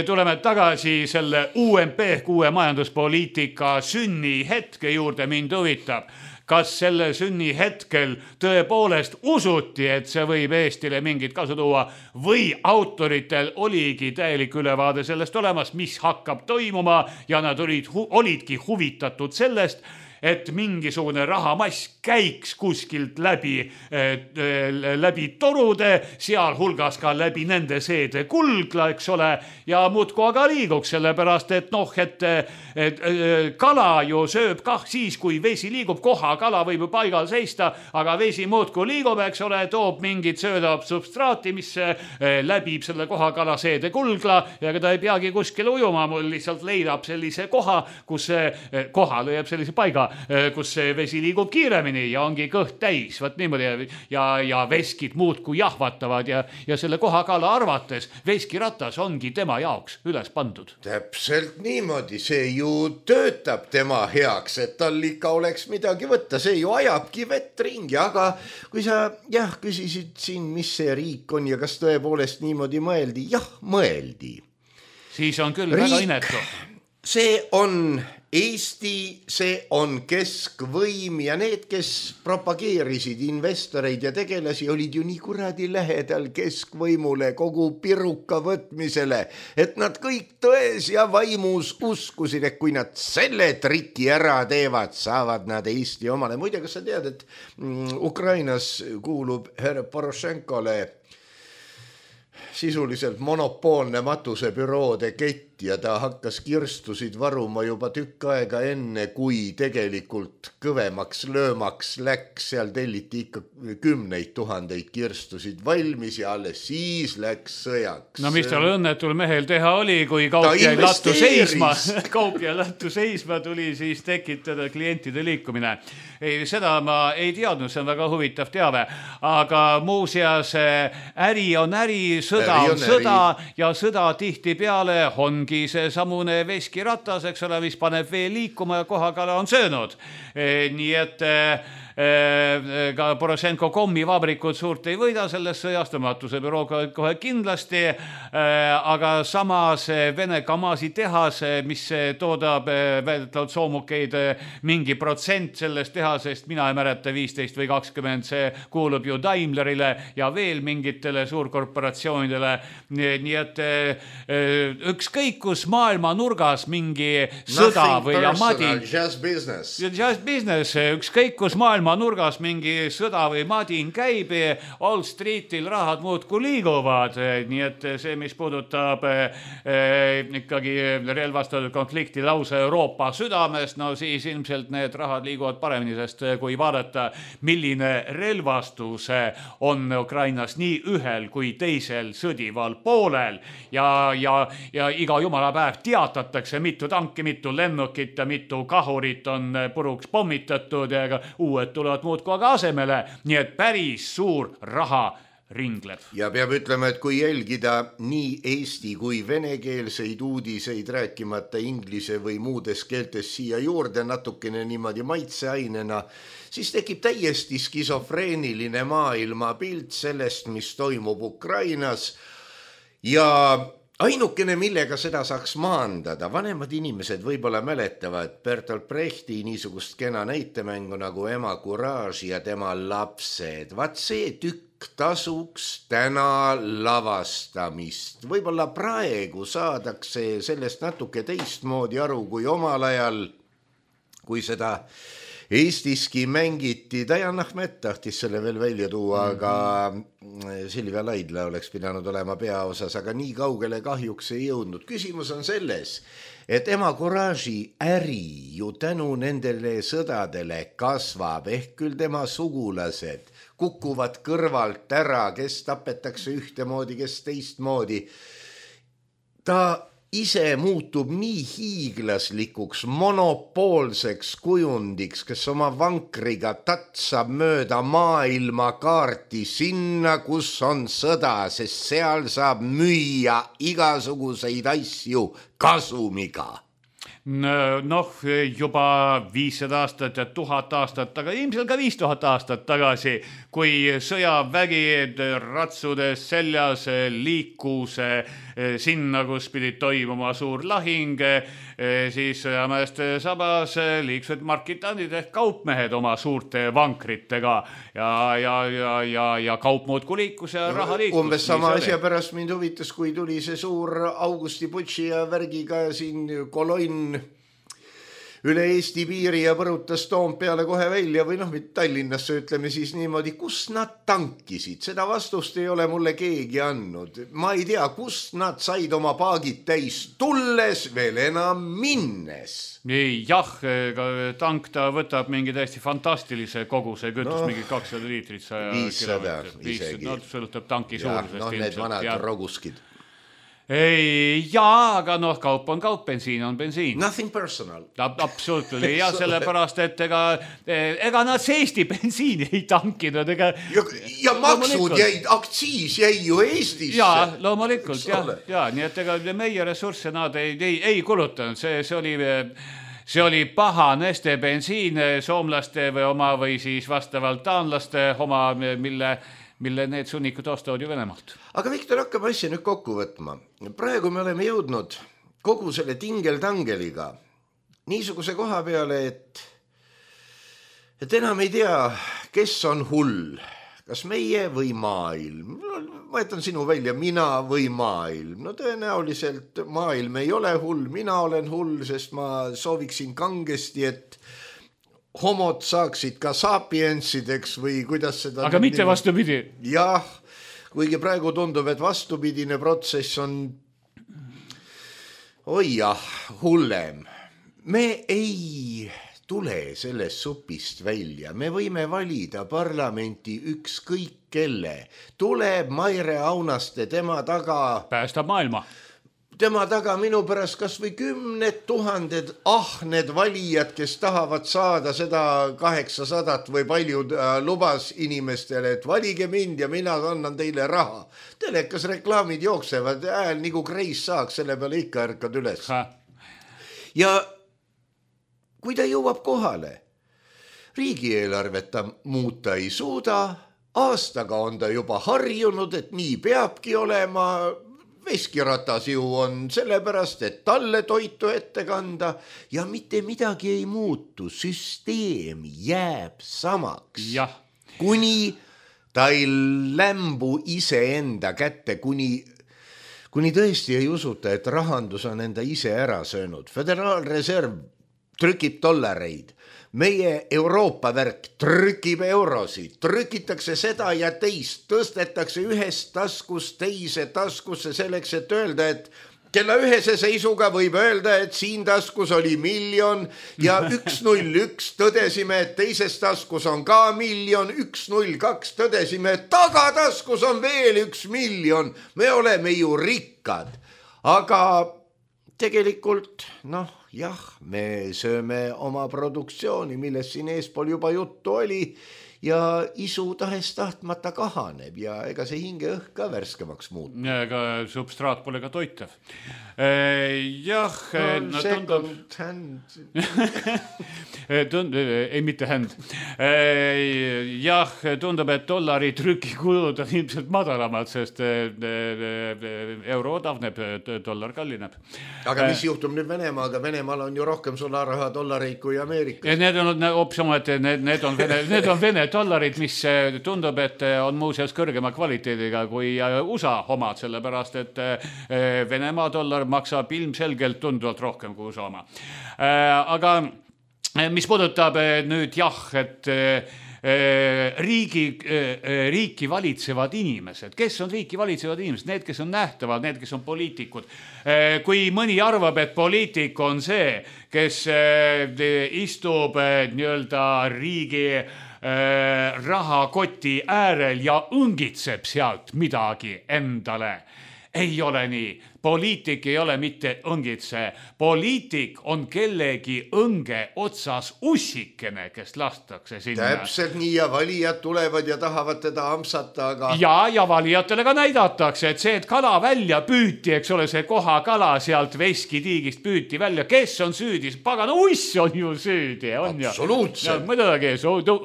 tuleme tagasi selle U M P, uue majanduspoliitika sünni hetke juurde. Mind huvitab, kas selle sünni hetkel tõepoolest usuti, et see võib Eestile mingit kasu tuua või autoritel oligi täielik ülevaade sellest olemas, mis hakkab toimuma ja nad olid, olidki huvitatud sellest, et mingisugune rahamass käiks kuskilt läbi, läbi torude, seal hulgas ka läbi nende seede kulgla, eks ole, ja muudku aga liiguks, sellepärast, et noh, et, et kala ju sööb kah siis, kui vesi liigub, koha kala võib ju paigal seista, aga vesi muudku liigub, eks ole, toob mingit söödab substraati, mis läbib selle koha kala seede kulgla ja ta ei peagi kuskil ujuma, mul lihtsalt leidab sellise koha, kus see koha leiab sellise paiga, kus see vesi liigub kiiremini ja ongi kõht täis, võt niimoodi, ja, ja veskid muudku jahvatavad ja, ja selle kohakala arvates veskiratas ongi tema jaoks üles pandud. Täpselt niimoodi, see ju töötab tema heaks, et tal ikka oleks midagi võtta, see ju ajabki vett ringi, aga kui sa jah, küsisid siin, mis see riik on ja kas tõepoolest niimoodi mõeldi, jah, mõeldi. Siis on küll riik, väga inetu. See on Eesti, see on keskvõim ja need, kes propageerisid investoreid ja tegelasi, olid ju nii kuradi lähedal keskvõimule, kogu piruka võtmisele, et nad kõik tões ja vaimus uskusid, et kui nad selle triki ära teevad, saavad nad Eesti omale. Muide, kas sa tead, et Ukrainas kuulub härra Porošenkole sisuliselt monopoolne matusebüroode kett ja ta hakkas kirstusid varuma juba tükk aega enne, kui tegelikult kõvemaks löömaks läks, seal telliti ikka kümneid tuhandeid kirstusid valmis ja alles siis läks sõjaks. No mis tal õnnetul mehel teha oli, kui kaup jäi lattu seisma, kaup jäi lattu seisma, tuli siis tekitada klientide liikumine. Ei, seda ma ei teadnud, see on väga huvitav teave, aga muuseas äri on äri, sõda on sõda ja sõda tihti peale ongi see samune veskiratas, eks ole, mis paneb vee liikuma ja kohakala on söönud. Nii et ka Porošenko kommivabrikud suurt ei võida sellest sõjast, matuse büroo kohe kindlasti, aga samas Vene Kamasi tehas, mis toodab väidetavalt soomukeid mingi protsent sellest tehasest, mina ei mäleta viisteist või kakskümmend, see kuulub ju Daimlerile ja veel mingitele suurkorporatsioonidele, nii et ükskõik kus maailma nurgas mingi sõda või amadi, just business, just business, ükskõik kus maailma maailma nurgas mingi sõda või madin käib, Wall Streetil rahad muudku liiguvad, nii et see, mis puudutab eh, ikkagi relvastatud konflikti lause Euroopa südamest, no siis ilmselt need rahad liiguvad paremini, sest kui vaadata, milline relvastus on Ukrainas nii ühel kui teisel sõdival poolel ja, ja, ja iga jumala päev teatatakse, mitu tanki, mitu lennukit ja mitu kahurit on puruks pommitatud ja uued tulevad muudku aga asemele, nii et päris suur raha ringleb. Ja peab ütlema, et kui jälgida nii eesti kui venekeelseid uudiseid, rääkimata inglise või muudes keeltes siia juurde natukene niimoodi maitseainena, siis tekib täiesti skisofreeniline maailmapilt sellest, mis toimub Ukrainas ja ainukene, millega seda saaks maandada, vanemad inimesed võib-olla mäletavad Bertolt Brechti niisugust kena näitemängu nagu Ema Courage ja tema lapsed. Vaat see tükk tasuks täna lavastamist. Võib-olla praegu saadakse sellest natuke teistmoodi aru kui omal ajal, kui seda Eestiski mängiti, Dajan Ahmet tahtis selle veel välja tuua, aga Silvia Laidla oleks pidanud olema peaosas, aga nii kaugele kahjuks ei jõudnud. Küsimus on selles, et Ema Courage'i äri ju tänu nendele sõdadele kasvab, ehk küll tema sugulased kukuvad kõrvalt ära, kes tapetakse ühtemoodi, kes teistmoodi. Ta ise muutub nii hiiglaslikuks, monopoolseks kujundiks, kes oma vankriga tatsab mööda maailma kaarti sinna, kus on sõda, sest seal saab müüa igasuguseid asju kasumiga. Noh, juba viissada aastat ja tuhat aastat, aga ilmselt ka viis tuhat aastat tagasi, kui sõjavägi ratsudes seljas liikus sinna, kus pidi toimuma suur lahing, siis sõjameeste sabas liiksused markitandid ehk kaupmehed oma suurte vankritega ja, ja, ja, ja, ja kaup muudku liikus ja raha liikus. Umbes sama asja pärast mind huvitas, kui tuli see suur Augusti Butši ja värgiga siin kolonn üle Eesti piiri ja põrutas Toompeale kohe välja või noh, Tallinnasse ütleme siis niimoodi, kus nad tankisid, seda vastust ei ole mulle keegi andnud. Ma ei tea, kus nad said oma paagid täis tulles, veel enam minnes. Jah, tank ta võtab mingi täiesti fantastilise koguse kütus, no, mingi kakssada liitrit. viissada isegi. No, sõlutab tanki suurusest. No, need vanad ja roguskid. Ei, jaa, aga noh, kaup on kaup, bensiin on bensiin. Nothing personal. Absolutely, ja sellepärast, et ega, ega nad Eesti bensiini ei tankinud. Ega, ja, ja maksud jäid, aktsiis jäi ju Eestisse. Jaa, loomulikult, jah, ja, nii et ega meie ressursse nad ei, ei, ei kulutanud, see, see oli... See oli paha Neste bensiin, soomlaste või oma või siis vastavalt taanlaste oma, mille... mille need sunnikud ostavad ju Venemaalt. Aga Viktor, hakkame asja nüüd kokku võtma. Praegu me oleme jõudnud kogu selle tingel-tangeliga niisuguse koha peale, et, et enam ei tea, kes on hull, kas meie või maailm. Ma jätan sinu välja, mina või maailm. No tõenäoliselt maailm ei ole hull, mina olen hull, sest ma sooviksin kangesti, et homod saaksid ka sapiensideks või kuidas seda... Aga mitte vastupidi. Jah, kuigi praegu tundub, et vastupidine protsess on oi jah, hullem. Me ei tule sellest supist välja. Me võime valida parlamenti ükskõik kelle. Tuleb Maire Aunaste, tema taga... Päästab maailma. Tema taga minu pärast kas või kümned tuhanded ahned valijad, kes tahavad saada seda kaheksasadat või palju lubas inimestele, et valige mind ja mina annan teile raha. Telekas reklaamid jooksevad hääl nagu kreis saaks, selle peale ikka ärkad üles. Ha. Ja kui ta jõuab kohale, riigieelarvet ta muuta ei suuda, aastaga on ta juba harjunud, et nii peabki olema. Veskiratas ju on sellepärast, et talle toitu ette kanda ja mitte midagi ei muutu. Süsteem jääb samaks. Jah. Kuni ta ei lämbu iseenda kätte, kuni, kuni tõesti ei usuta, et rahandus on enda ise ära söönud. Föderaalreserv trükib dollareid. meie Euroopa värk trükib eurosid, trükitakse seda ja teist, tõstetakse ühest taskust teise taskusse selleks, et öelda, et kella ühese seisuga võib öelda, et siin taskus oli miljon ja üks null üks tõdesime, et teises taskus on ka miljon, üks null kaks tõdesime, et tagataskus on veel üks miljon. Me oleme ju rikkad, aga tegelikult noh, jah, me sööme oma produktsiooni, millest siin eespool juba juttu oli ja isu tahes tahtmata kahaneb ja ega see hinge õhk ka värskemaks muutub. Ega substraat pole ka toitev. Jah, no, no, tundub... hand. Tund... Ei, mitte hand. Jah, tundub, et dollari trükikulud on ilmselt madalamad, sest euro odavneb, dollar kallineb. Aga mis juhtub nüüd Venemaaga? Venemaal on ju rohkem sularaha dollareid kui Ameerikas. Need on opsama, et need, need on Vene, need on Vene dollarid, mis tundub, et on muuseas kõrgema kvaliteediga kui U S A omad, sellepärast, et Venemaa dollar maksab ilmselgelt tunduvalt rohkem kui U S A oma. Aga mis puudutab nüüd jah, et riigi, riiki valitsevad inimesed, kes on riiki valitsevad inimesed, need, kes on nähtavad, need, kes on poliitikud. Kui mõni arvab, et poliitik on see, kes istub nii-öelda riigi rahakoti äärel ja õngitseb sealt midagi endale. Ei ole nii. Poliitik ei ole mitte õngitse. Poliitik on kellegi õnge otsas ussikene, kes lastakse sinna. Täpselt nii ja valijad tulevad ja tahavad teda amsata, aga... Ja, ja valijatele ka näidatakse, et see, et kala välja püüti, eks ole, see koha kala sealt veskitiigist püüti välja. Kes on süüdi? Pagana uss on ju süüdi. On absoluutselt. Ja, muidugi,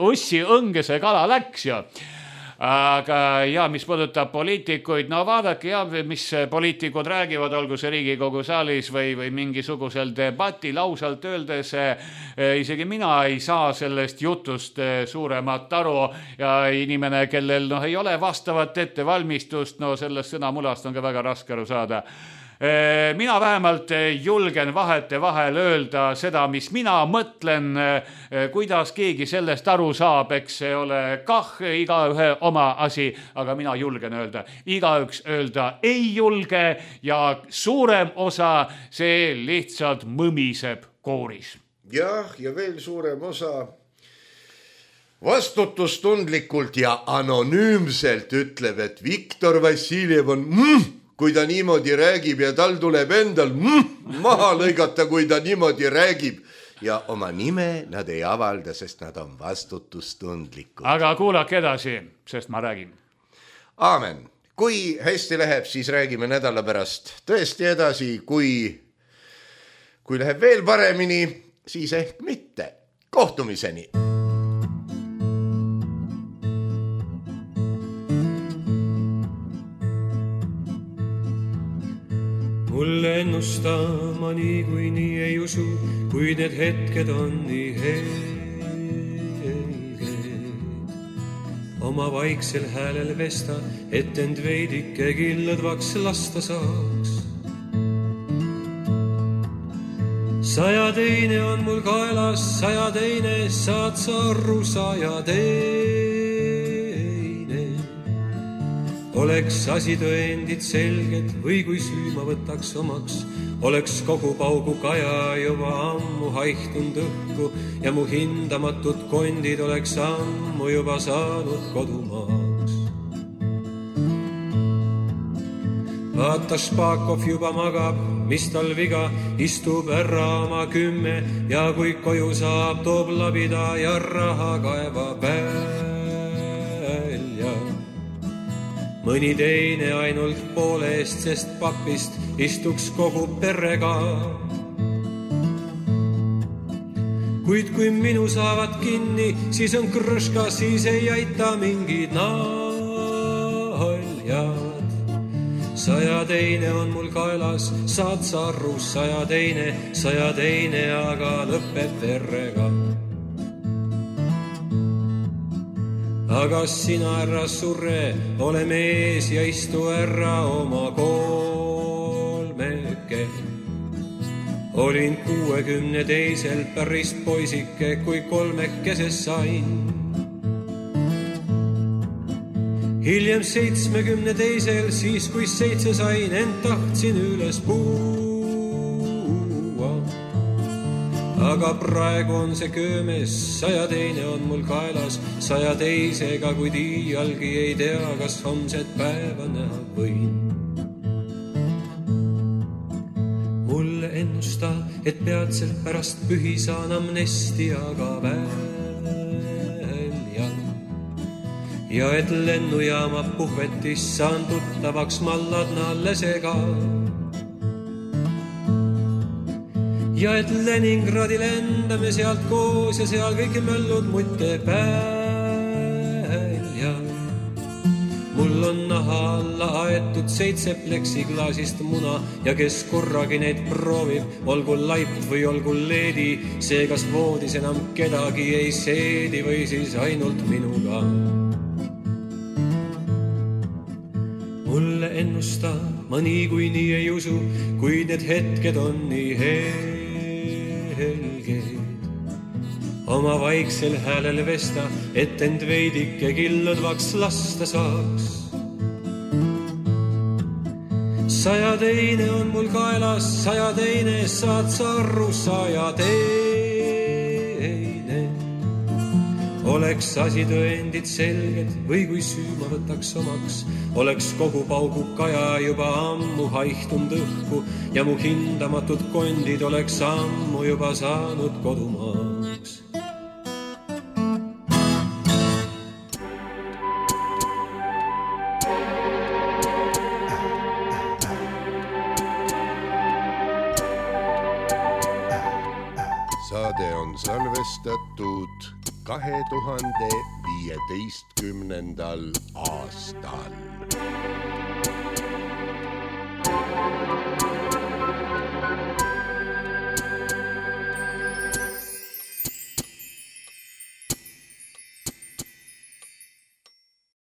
ussi õnge see kala läks ju. Aga ja, mis puudutab poliitikuid, no vaadake ja, mis poliitikud räägivad, olgu see Riigikogu saalis või, või mingisugusel debatil ausalt öeldes, isegi mina ei saa sellest jutust suuremat aru ja inimene, kellel no, ei ole vastavat ettevalmistust, no sellest sõnamulast on ka väga raske aru saada. Mina vähemalt julgen vahete vahel öelda seda, mis mina mõtlen, kuidas keegi sellest aru saab, eks see ole kah iga ühe oma asi, aga mina julgen öelda. Igaüks öelda ei julge ja suurem osa see lihtsalt mõmiseb kooris. Jah, ja veel suurem osa vastutustundlikult ja anonüümselt ütleb, et Viktor Vassiljev on... Mm, kui ta niimoodi räägib ja tal tuleb endal mm, maha lõigata, kui ta niimoodi räägib. Ja oma nime nad ei avalda, sest nad on vastutustundlikud. Aga kuulake edasi, sest ma räägin. Aamen. Kui hästi läheb, siis räägime nädala pärast tõesti edasi. Kui, kui läheb veel paremini, siis ehk mitte. Kohtumiseni! Mulle ennustama nii kui nii ei usu, kui need hetked on nii helged. Oma vaiksel häälel vesta, et end veidike killadvaks lasta saaks. Saja teine on mul kaelas, saja teine saad sa arru, saja teine. Oleks asi tõendid selged või kui süüma võtaks omaks, oleks kogu paugu kaja juba ammu haihtund õhku ja mu hindamatud kondid oleks ammu juba saanud kodumaaks. Vaata Špakov juba magab, mis tal viga, istub ära oma kümme ja kui koju saab, toob labida ja raha kaeva välja. Mõni teine ainult poole eest, sest papist istuks kogu perega. Kuid kui minu saavad kinni, siis on krõška, siis ei aita mingid naljad. Saja teine on mul kaelas, saad sa arru, saja teine, saja teine, aga lõpeb verrega. Aga sina ära surre, ole mees ja istu ära oma kolmeke. olin kuuekümne teisel päris poisike, kui kolmekese sain. Hiljem seitsmekümne teisel, siis kui seitse sain, ent tahtsin üles puua. Aga praegu on see köömes, saja teine on mul kaelas, saja teisega, kuid iialgi ei tea, kas homset päeva näha võin. Mulle ennusta, et peatselt pärast pühi saan amnestiaga välja ja et lennujaama puhvetis saan tuttavaks Malladna lesega ja et Leningradi lendame sealt koos ja seal kõik möllud mutte välja. Mul on naha alla aetud seitse pleksiklaasist muna ja kes korragi neid proovib, olgu laip või olgu leedi, see kas voodis enam kedagi ei seedi või siis ainult minuga. Mulle ennusta, ma nii kui nii ei usu, kuid need hetked on nii helged. Oma vaiksel häälel vesta, et end veidike killudvaks lasta saaks. Saja teine on mul kaelas, saja teine saad sa arru, saja teine. Oleks asi tõendid selged või kui süü ma võtaks omaks, oleks kogu paugu kaja juba ammu haihtunud õhku ja mu hindamatud kondid oleks ammu juba saanud kodumaaks. Saade on salvestatud kahe tuhande viieteistkümnendal aastal.